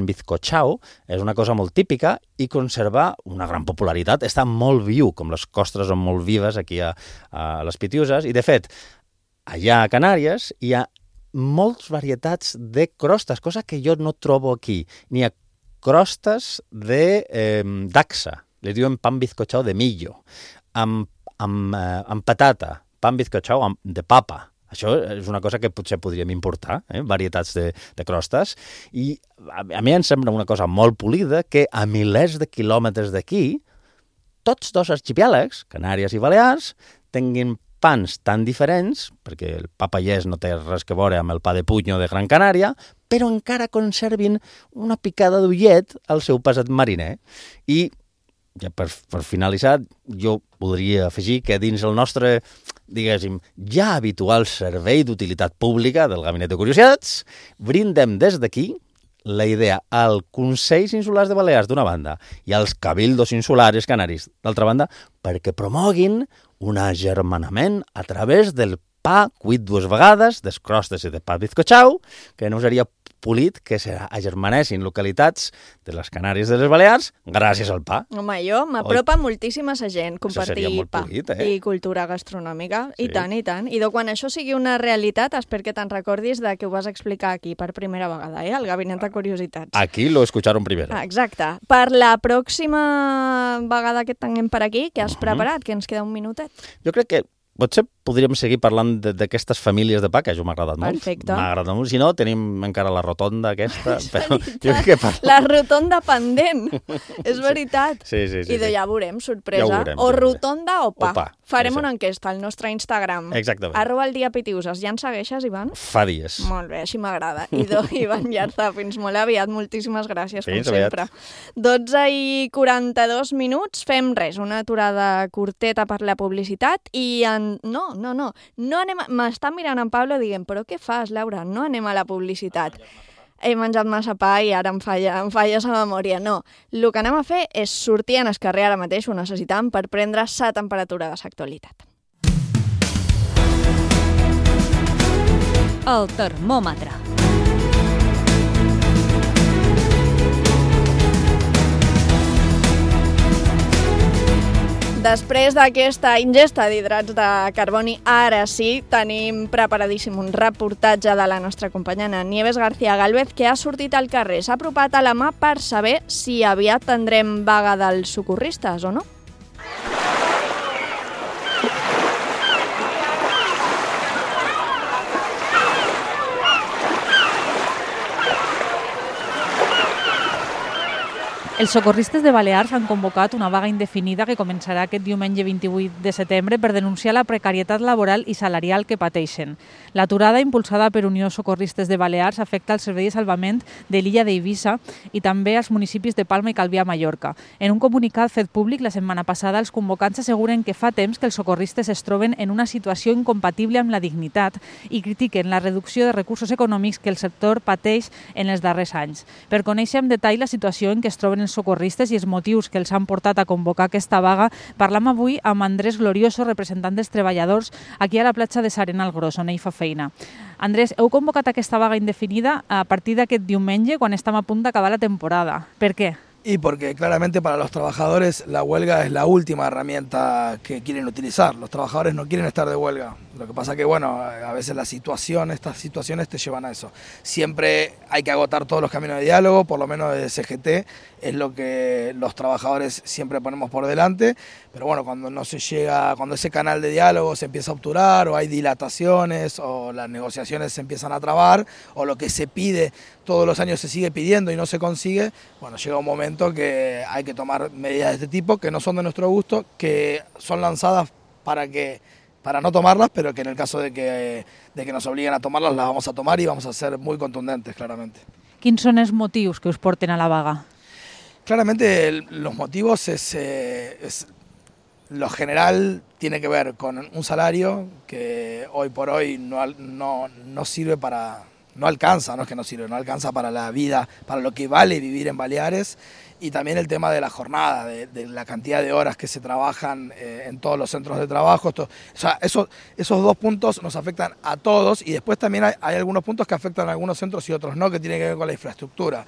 bizcochao, és una cosa molt típica i conserva una gran popularitat. Està molt viu, com les costres són molt vives aquí a les Pitiuses, i de fet, allà a Canàries hi ha moltes varietats de crostes, cosa que jo no trobo aquí. N'hi ha crostes de daxa, li diuen pan bizcochao de millo, amb patata, pan bizcochao de papa. Això és una cosa que potser podríem importar, varietats de crostes, i a mi em sembla una cosa molt polida que a milers de quilòmetres d'aquí, tots dos arxipièlegs, Canàries i Balears, tinguin pans tan diferents, perquè el pa pallès no té res que veure amb el pa de Puño de Gran Canària, però encara conservin una picada d'ullet al seu passat mariner. I, ja per finalitzar, jo podria afegir que dins el nostre, diguéssim, ja habitual servei d'utilitat pública del Gabinet de Curiositats, brindem des d'aquí la idea als Consells Insulars de Balears, d'una banda, i als Cabildos Insulares Canaris, d'altra banda, perquè promoguin un agermanament a través del pa cuit 2 vegades, des crostes i de pa bizcochao, que no seria polit que s'agermanessin localitats de les Canàries de les Balears gràcies al pa. Home, jo m'apropa moltíssim a sa gent compartir pa polit, i cultura gastronòmica. Sí. I tant, i tant. I quan això sigui una realitat, espero que te'n recordis de que ho vas explicar aquí per primera vegada, al Gabinet de Curiositats. Aquí lo escucharon primero. Exacte. Per la pròxima vegada que tinguem per aquí, què has preparat? Que ens queda un minutet. Jo crec que potser podríem seguir parlant d'aquestes famílies de pa, que això m'ha agradat molt. Perfecte. M'ha agradat molt. Si no, tenim encara la rotonda aquesta. Però jo crec que la rotonda pendent, és veritat. Sí. I ja veurem, sorpresa. Ja veurem, o rotonda o pa. Farem exacte. una enquesta al nostre Instagram. Exactament. @eldiapitiuses. Ja ens segueixes, Ivan? Fa dies. Molt bé, així m'agrada. Ivan Llarza, fins molt aviat. Moltíssimes gràcies, fins com sempre. 12:42 minuts. Fem res, una aturada curteta per la publicitat i No anem m'està mirant en Pablo dient, però què fas, Laura? No anem a la publicitat. He menjat massa pa i ara em falla la memòria. No, el que anem a fer és sortir en el carrer ara mateix, ho necessitam, per prendre sa temperatura de l'actualitat. El termòmetre. Després d'aquesta ingesta d'hidrats de carboni, ara sí, tenim preparadíssim un reportatge de la nostra companya Nieves García Gálvez, que ha sortit al carrer, s'ha apropat a la mà per saber si aviat tindrem vaga dels socorristes o no. Els socorristes de Balears han convocat una vaga indefinida que començarà aquest diumenge 28 de setembre per denunciar la precarietat laboral i salarial que pateixen. L'aturada impulsada per Unió Socorristes de Balears afecta el servei de salvament de l'illa d'Eivissa i també als municipis de Palma i Calvià a Mallorca. En un comunicat fet públic la setmana passada, els convocants asseguren que fa temps que els socorristes es troben en una situació incompatible amb la dignitat i critiquen la reducció de recursos econòmics que el sector pateix en els darrers anys. Per conèixer en detall la situació en què es troben els socorristes i els motius que els han portat a convocar aquesta vaga, parlam avui amb Andrés Glorioso, representant dels treballadors, aquí a la platja de S'Arenal Gros, on ell fa feina. Andrés, heu convocat aquesta vaga indefinida a partir d'aquest diumenge, quan estem a punt d'acabar la temporada. Per què? Y porque claramente para los trabajadores la huelga es la última herramienta que quieren utilizar. Los trabajadores no quieren estar de huelga. Lo que pasa que, bueno, a veces estas situaciones te llevan a eso. Siempre hay que agotar todos los caminos de diálogo, por lo menos desde CGT, es lo que los trabajadores siempre ponemos por delante. Pero bueno, cuando no se llega, cuando ese canal de diálogo se empieza a obturar, o hay dilataciones, o las negociaciones se empiezan a trabar, o lo que se pide todos los años se sigue pidiendo y no se consigue, bueno, llega un momento que hay que tomar medidas de este tipo que no son de nuestro gusto, que son lanzadas para no tomarlas, pero que en el caso de que nos obliguen a tomarlas, las vamos a tomar y vamos a ser muy contundentes, claramente. Quins són els motius que us porten a la vaga? Claramente los motivos es lo general tiene que ver con un salario que hoy por hoy no sirve para... No alcanza, no es que no sirve, no alcanza para la vida, para lo que vale vivir en Baleares, y también el tema de la jornada, de la cantidad de horas que se trabajan en todos los centros de trabajo. O sea, esos dos puntos nos afectan a todos, y después también hay algunos puntos que afectan a algunos centros y otros no, que tienen que ver con la infraestructura.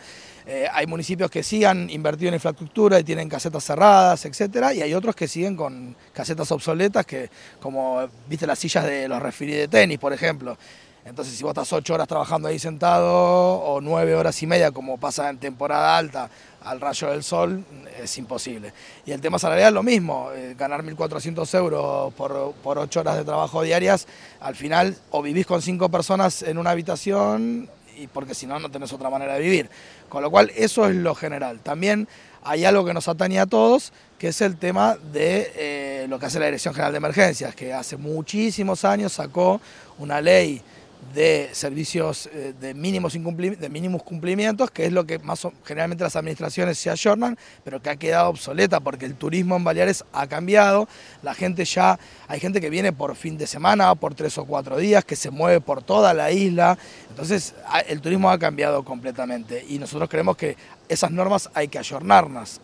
Hay municipios que sí han invertido en infraestructura y tienen casetas cerradas, etcétera, y hay otros que siguen con casetas obsoletas, que como viste las sillas de los referees de tenis, por ejemplo. Entonces, si vos estás 8 horas trabajando ahí sentado, o 9 horas y media, como pasa en temporada alta, al rayo del sol, es imposible. Y el tema salarial, lo mismo, ganar 1.400 euros por 8 horas de trabajo diarias, al final o vivís con 5 personas en una habitación, y porque si no, no tenés otra manera de vivir. Con lo cual, eso es lo general. También hay algo que nos atañe a todos, que es el tema de lo que hace la Dirección General de Emergencias, que hace muchísimos años sacó una ley de servicios de mínimos cumplimientos, que es lo que generalmente las administraciones se ayornan, pero que ha quedado obsoleta porque el turismo en Baleares ha cambiado. Hay gente que viene por fin de semana, por 3 o 4 días, que se mueve por toda la isla. Entonces el turismo ha cambiado completamente, y nosotros creemos que esas normas hay que ayornarlas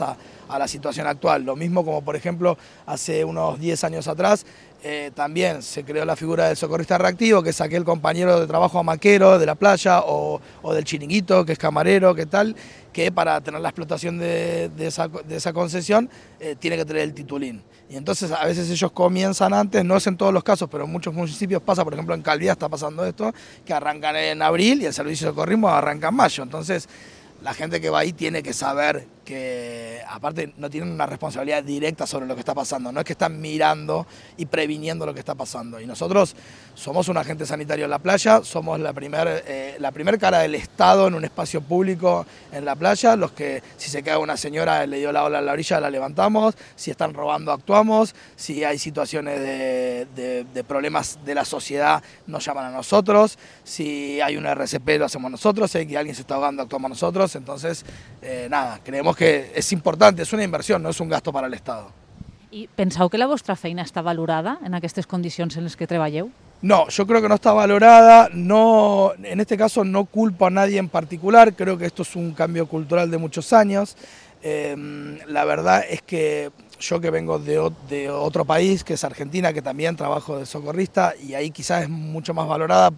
a la situación actual. Lo mismo como, por ejemplo, hace unos 10 años atrás, también se creó la figura del socorrista reactivo, que es aquel compañero de trabajo amaquero de la playa, o del chiringuito, que es camarero, que tal, que para tener la explotación de esa concesión tiene que tener el titulín. Y entonces a veces ellos comienzan antes, no es en todos los casos, pero en muchos municipios pasa, por ejemplo en Calviá está pasando esto, que arrancan en abril y el servicio de socorrismo arranca en mayo. Entonces la gente que va ahí tiene que saber que aparte no tienen una responsabilidad directa sobre lo que está pasando, no es que están mirando y previniendo lo que está pasando. Y nosotros somos un agente sanitario en la playa, somos la primer cara del Estado en un espacio público en la playa, los que si se cae una señora le dio la ola a la orilla la levantamos, si están robando actuamos, si hay situaciones de problemas de la sociedad nos llaman a nosotros, si hay un RCP lo hacemos nosotros, si alguien se está ahogando actuamos nosotros, entonces nada, creemos que és important, és una inversió, no és un gasto para l'Estat. I penseu que la vostra feina està valorada en aquestes condicions en les que treballeu? No, yo creo que no está valorada, no, en este caso no culpo a nadie en particular, creo que esto es un cambio cultural de muchos años. La verdad es que yo que vengo de otro país, que es Argentina, que también trabajo de socorrista, y ahí quizás es mucho más valorada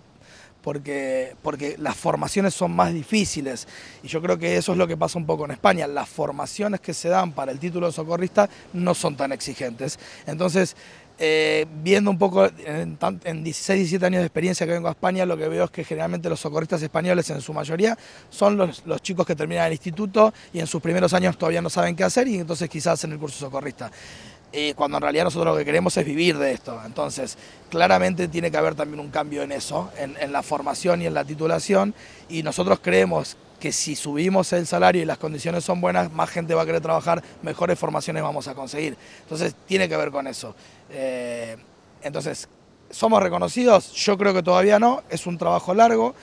porque las formaciones son más difíciles, y yo creo que eso es lo que pasa un poco en España, las formaciones que se dan para el título de socorrista no son tan exigentes. Entonces, viendo un poco en 16, 17 años de experiencia que vengo a España, lo que veo es que generalmente los socorristas españoles en su mayoría son los chicos que terminan el instituto y en sus primeros años todavía no saben qué hacer y entonces quizás hacen el curso socorrista. Cuando en realidad nosotros lo que queremos es vivir de esto. Entonces, claramente tiene que haber también un cambio en eso, en la formación y en la titulación, y nosotros creemos que si subimos el salario y las condiciones son buenas, más gente va a querer trabajar, mejores formaciones vamos a conseguir. Entonces, tiene que ver con eso. Entonces, ¿somos reconocidos? Yo creo que todavía no, es un trabajo largo.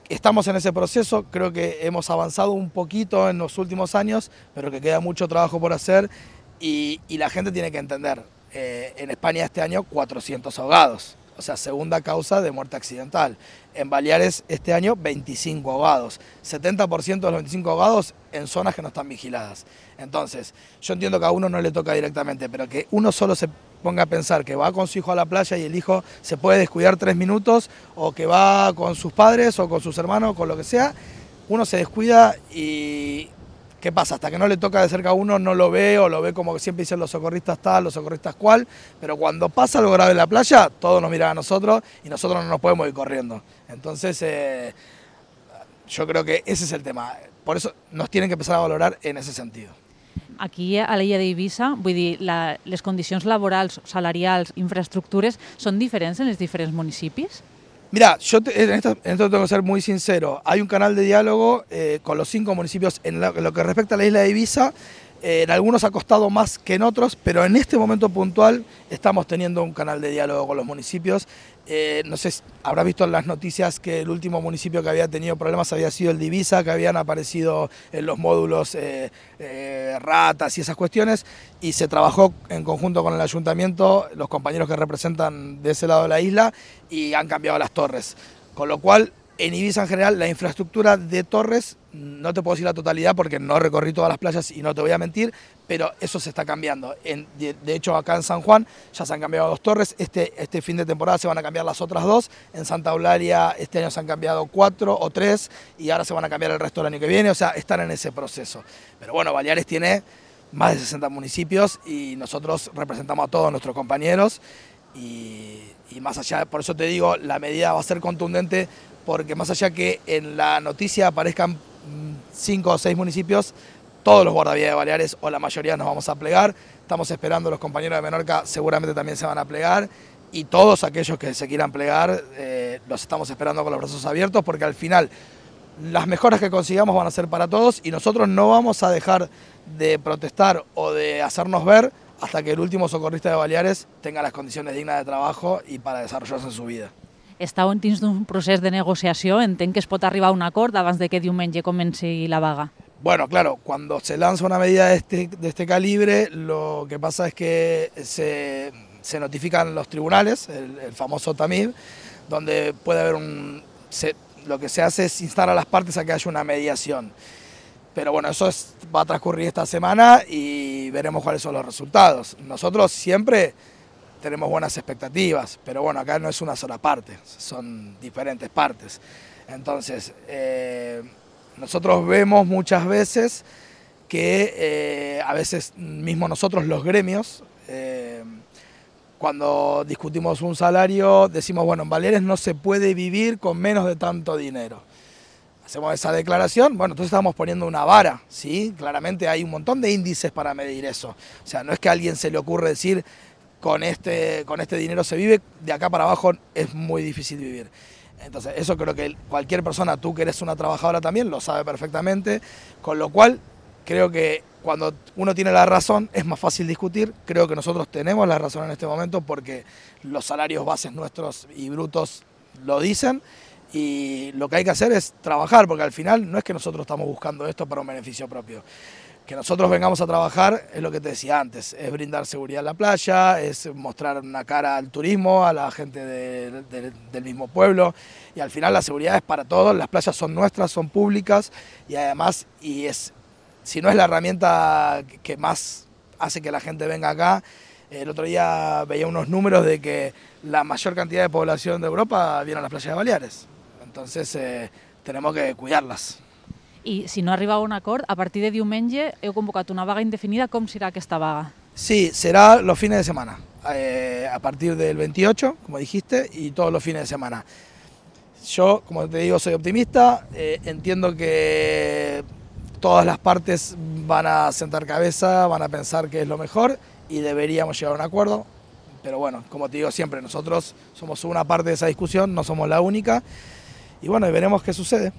Estamos en ese proceso, creo que hemos avanzado un poquito en los últimos años, pero que queda mucho trabajo por hacer. Y la gente tiene que entender, en España este año 400 ahogados, o sea, segunda causa de muerte accidental. En Baleares este año 25 ahogados, 70% de los 25 ahogados en zonas que no están vigiladas. Entonces, yo entiendo que a uno no le toca directamente, pero que uno solo se ponga a pensar que va con su hijo a la playa y el hijo se puede descuidar 3 minutos, o que va con sus padres o con sus hermanos, con lo que sea, uno se descuida y... ¿qué pasa? Hasta que no le toca de cerca a uno no lo ve, o lo ve como que siempre dicen los socorristas tal, los socorristas cual, pero cuando pasa algo grave en la playa, todos nos miran a nosotros y nosotros no nos podemos ir corriendo. Entonces, yo creo que ese es el tema. Por eso nos tienen que empezar a valorar en ese sentido. Aquí a l'illa d'Eivissa, vull dir, les condicions laborals, salarials, infraestructures, són diferents en els diferents municipis? Mira, yo en esto tengo que ser muy sincero. Hay un canal de diálogo con los 5 municipios en lo que respecta a la isla de Eivissa. En algunos ha costado más que en otros, pero en este momento puntual estamos teniendo un canal de diálogo con los municipios. No sé, habrás visto en las noticias que el último municipio que había tenido problemas había sido el de Eivissa, que habían aparecido en los módulos ratas y esas cuestiones, y se trabajó en conjunto con el ayuntamiento, los compañeros que representan de ese lado de la isla, y han cambiado las torres. Con lo cual, en Eivissa en general, la infraestructura de torres, no te puedo decir la totalidad porque no recorrí todas las playas y no te voy a mentir, pero eso se está cambiando. De hecho, acá en San Juan ya se han cambiado 2 torres, este fin de temporada se van a cambiar las otras 2, en Santa Eulalia este año se han cambiado 4 o 3 y ahora se van a cambiar el resto del año que viene, o sea, están en ese proceso. Pero bueno, Baleares tiene más de 60 municipios y nosotros representamos a todos nuestros compañeros y más allá, por eso te digo, la medida va a ser contundente, porque más allá que en la noticia aparezcan 5 o 6 municipios, todos los guardavidas de Baleares o la mayoría nos vamos a plegar. Estamos esperando, los compañeros de Menorca seguramente también se van a plegar, y todos aquellos que se quieran plegar los estamos esperando con los brazos abiertos, porque al final las mejoras que consigamos van a ser para todos y nosotros no vamos a dejar de protestar o de hacernos ver hasta que el último socorrista de Baleares tenga las condiciones dignas de trabajo y para desarrollarse en su vida. Estàu dins d'un procés de negociació, entenc que es pot arribar a un acord abans de que diumenge comenci la vaga. Bueno, claro, cuando se lanza una medida de este calibre, lo que pasa es que se notifican los tribunales, el famoso TAMIB, donde puede haber lo que se hace es instar a las partes a que haya una mediación. Pero bueno, eso va a transcurrir esta semana y veremos cuáles son los resultados. Nosotros siempre tenemos buenas expectativas, pero bueno, acá no es una sola parte, son diferentes partes. Entonces, nosotros vemos muchas veces que a veces mismo nosotros los gremios, cuando discutimos un salario, decimos, bueno, en Baleares no se puede vivir con menos de tanto dinero. hacemos esa declaración, bueno, entonces estamos poniendo una vara, ¿sí? Claramente hay un montón de índices para medir eso. O sea, no es que a alguien se le ocurre decir, con este dinero se vive, de acá para abajo es muy difícil vivir. Entonces, eso creo que cualquier persona, tú que eres una trabajadora también, lo sabe perfectamente, con lo cual creo que cuando uno tiene la razón es más fácil discutir. Creo que nosotros tenemos la razón en este momento porque los salarios bases nuestros y brutos lo dicen. Y lo que hay que hacer es trabajar, porque al final no es que nosotros estamos buscando esto para un beneficio propio. Que nosotros vengamos a trabajar es lo que te decía antes, es brindar seguridad en la playa, es mostrar una cara al turismo, a la gente del mismo pueblo, y al final la seguridad es para todos, las playas son nuestras, son públicas, y además, si no es la herramienta que más hace que la gente venga acá, el otro día veía unos números de que la mayor cantidad de población de Europa viene a las playas de Baleares. Entonces tenemos que cuidarlas. I si no arriba a un acord, a partir de diumenge heu convocat una vaga indefinida. Com serà aquesta vaga? Sí, será los fines de semana, a partir del 28, como dijiste, y todos los fines de semana. Yo, como te digo, soy optimista, entiendo que todas las partes van a sentar cabeza, van a pensar que es lo mejor y deberíamos llegar a un acuerdo. Pero bueno, como te digo siempre, nosotros somos una parte de esa discusión, no somos la única. Y bueno, veremos qué sucede.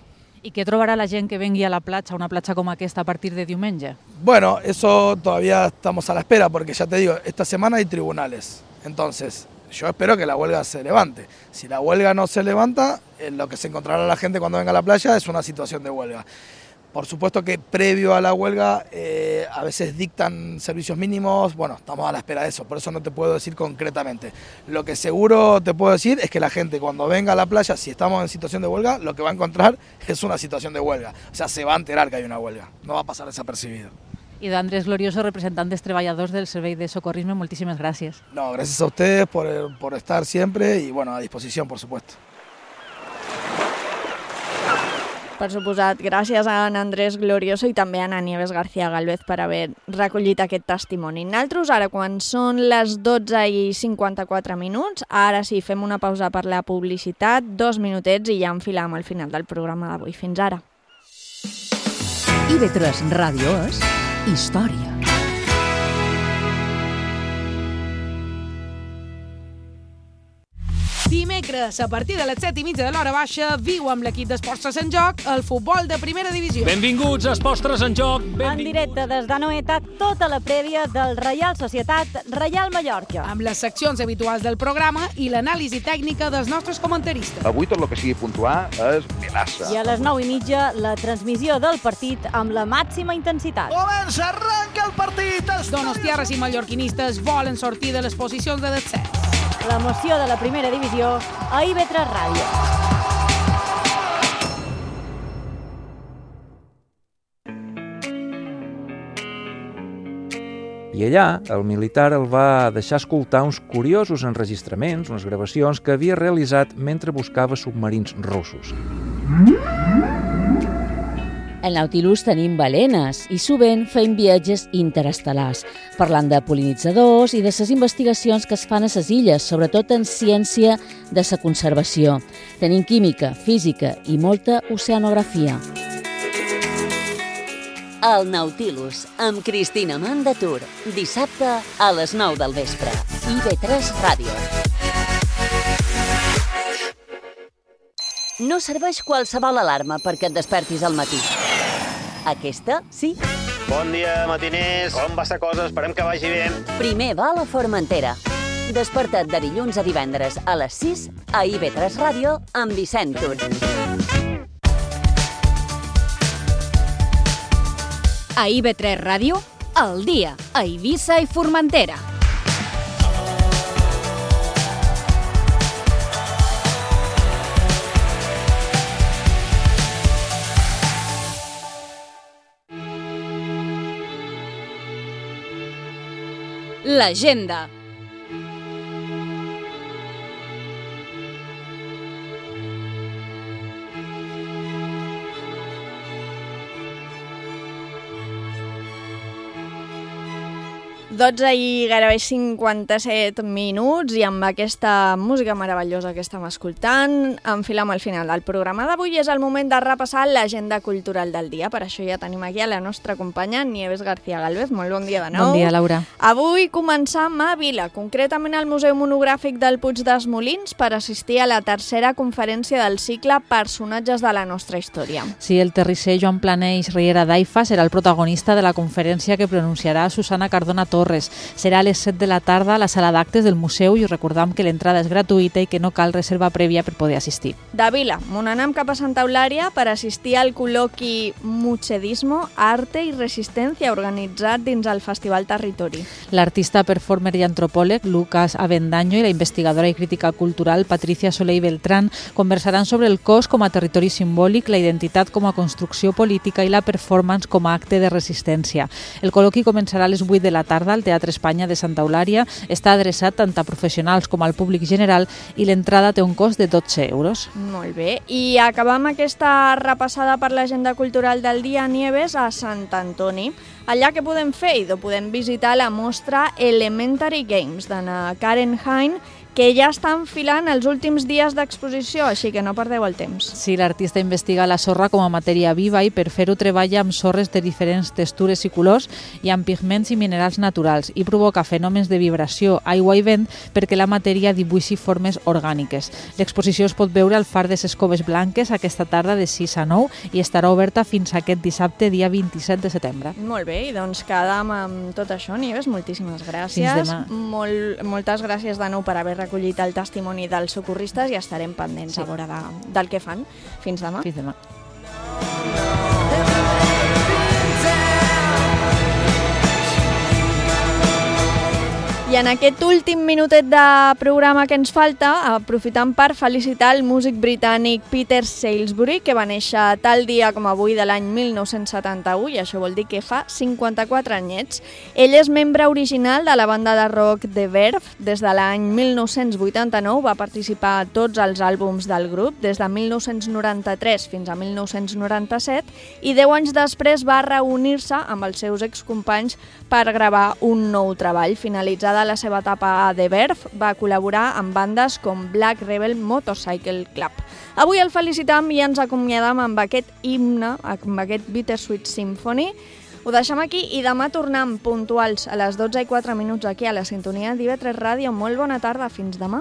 I què trobarà la gent que vengui a la platja, una platja com aquesta, a partir de diumenge? Bueno, eso todavía estamos a la espera, porque ya te digo, esta semana hay tribunales. Entonces, yo espero que la huelga se levante. Si la huelga no se levanta, lo que se encontrará la gente cuando venga a la playa es una situación de huelga. Por supuesto que previo a la huelga a veces dictan servicios mínimos, bueno, estamos a la espera de eso, por eso no te puedo decir concretamente. Lo que seguro te puedo decir es que la gente cuando venga a la playa, si estamos en situación de huelga, lo que va a encontrar es una situación de huelga. O sea, se va a enterar que hay una huelga, no va a pasar desapercibido. I d'Andrés Glorioso, representant dels treballadors del Servei de Socorrisme, moltíssimes gràcies. No, gracias a ustedes por estar siempre y bueno, a disposición, por supuesto. Per suposat, gràcies a en Andrés Glorioso i també a Ana Nieves García Galvez per haver recollit aquest testimoni. Nosaltres ara, quan són les 12:54, ara sí, fem una pausa per la publicitat, 2 minutets i ja enfilam al final del programa d'avui. Fins ara. IB3 Ràdio és història. Dimecres, a partir de les 7:30 de l'hora baixa, viu amb l'equip d'Esports en Joc el futbol de primera divisió. Benvinguts a Esports en Joc. En directe des d'Anoeta, tota la prèvia del Reial Societat Reial Mallorca. Amb les seccions habituals del programa i l'anàlisi tècnica dels nostres comentaristes. Avui tot el que sigui puntuar és melassa. I a les 9:30, la transmissió del partit amb la màxima intensitat. Comença, arranca el partit! Els donostiarres i mallorquinistes volen sortir de les posicions de descens. L'emoció de la primera divisió a IB3 Ràdio. I allà, el militar el va deixar escoltar uns curiosos enregistraments, unes gravacions que havia realitzat mentre buscava submarins russos. Al Nautilus tenim balenes i sovint fem viatges interestel·lars, parlant de pol·linitzadors i de les investigacions que es fan a les illes, sobretot en ciència de la conservació. Tenim química, física i molta oceanografia. El Nautilus, amb Cristina Mandatur, dissabte a les 9 del vespre. IB3 Ràdio. No serveix qualsevol alarma perquè et despertis al matí. Aquesta, sí. Bon dia, matiners. Com va la cosa? Esperem que vagi bé. Primer va a la Formentera. Desperta't de dilluns a divendres a les 6 a IB3 Ràdio amb Vicent Tur. A IB3 Ràdio, al dia, a Eivissa i Formentera. L'agenda. 12 i gairebé 57 minuts i amb aquesta música meravellosa que estem escoltant enfilem al final del programa d'avui. És el moment de repassar l'agenda cultural del dia. Per això ja tenim aquí a la nostra companya Nieves García Gálvez. Molt bon dia de nou. Bon dia, Laura. Avui començam a Vila, concretament al Museu Monogràfic del Puig dels Molins, per assistir a la tercera conferència del cicle Personatges de la nostra història. Sí, el terrisser Joan Planeix Riera d'Aifa serà el protagonista de la conferència que pronunciarà Susana Cardona Torres. Serà a les 7 de la tarda a la sala d'actes del museu i us recordam que l'entrada és gratuïta i que no cal reserva prèvia per poder assistir. De Vila, on anem cap a Santa Eulària per assistir al col·loqui Muchedismo, Arte i Resistència organitzat dins el Festival Territori. L'artista, performer i antropòleg Lucas Avendaño i la investigadora i crítica cultural Patricia Soler i Beltrán conversaran sobre el cos com a territori simbòlic, la identitat com a construcció política i la performance com a acte de resistència. El col·loqui començarà a les 8 de la tarda al Teatre Espanya de Santa Eulària, està adreçat tant a professionals com al públic general i l'entrada té un cost de 12 euros. Molt bé, i acabam aquesta repassada per l'agenda cultural del dia, Nieves, a Sant Antoni. Allà que podem fer? I podem visitar la mostra Elementary Games d'Anna Karen Hein, que ja està enfilant els últims dies d'exposició, així que no perdeu el temps. Sí, l'artista investiga la sorra com a matèria viva i per fer-ho treballa amb sorres de diferents textures i colors i amb pigments i minerals naturals i provoca fenòmens de vibració, aigua i vent perquè la matèria dibuixi formes orgàniques. L'exposició es pot veure al Far de ses Coves Blanques aquesta tarda de 6 a 9 i estarà oberta fins aquest dissabte, dia 27 de setembre. Molt bé, i doncs quedam amb tot això, Nieves, moltíssimes gràcies. Fins demà. Moltes gràcies de nou per haver recollit el testimoni dels socorristes i estarem pendents a veure del que fan. Fins demà. Fins demà. I en aquest últim minutet de programa que ens falta, aprofitant per felicitar el músic britànic Peter Salisbury, que va néixer tal dia com avui de l'any 1971, i això vol dir que fa 54 anyets. Ell és membre original de la banda de rock The Verve. Des de l'any 1989 va participar a tots els àlbums del grup, des de 1993 fins a 1997, i 10 anys després va reunir-se amb els seus excompanys per gravar un nou treball. Finalitzada la seva etapa a The Verve, va col·laborar amb bandes com Black Rebel Motorcycle Club. Avui el felicitam i ens acomiadam amb aquest himne, amb aquest Bittersweet Symphony. Ho deixem aquí i demà tornem puntuals a les 12 i 4 minuts aquí a la sintonia d'IV3 Ràdio. Molt bona tarda, fins demà.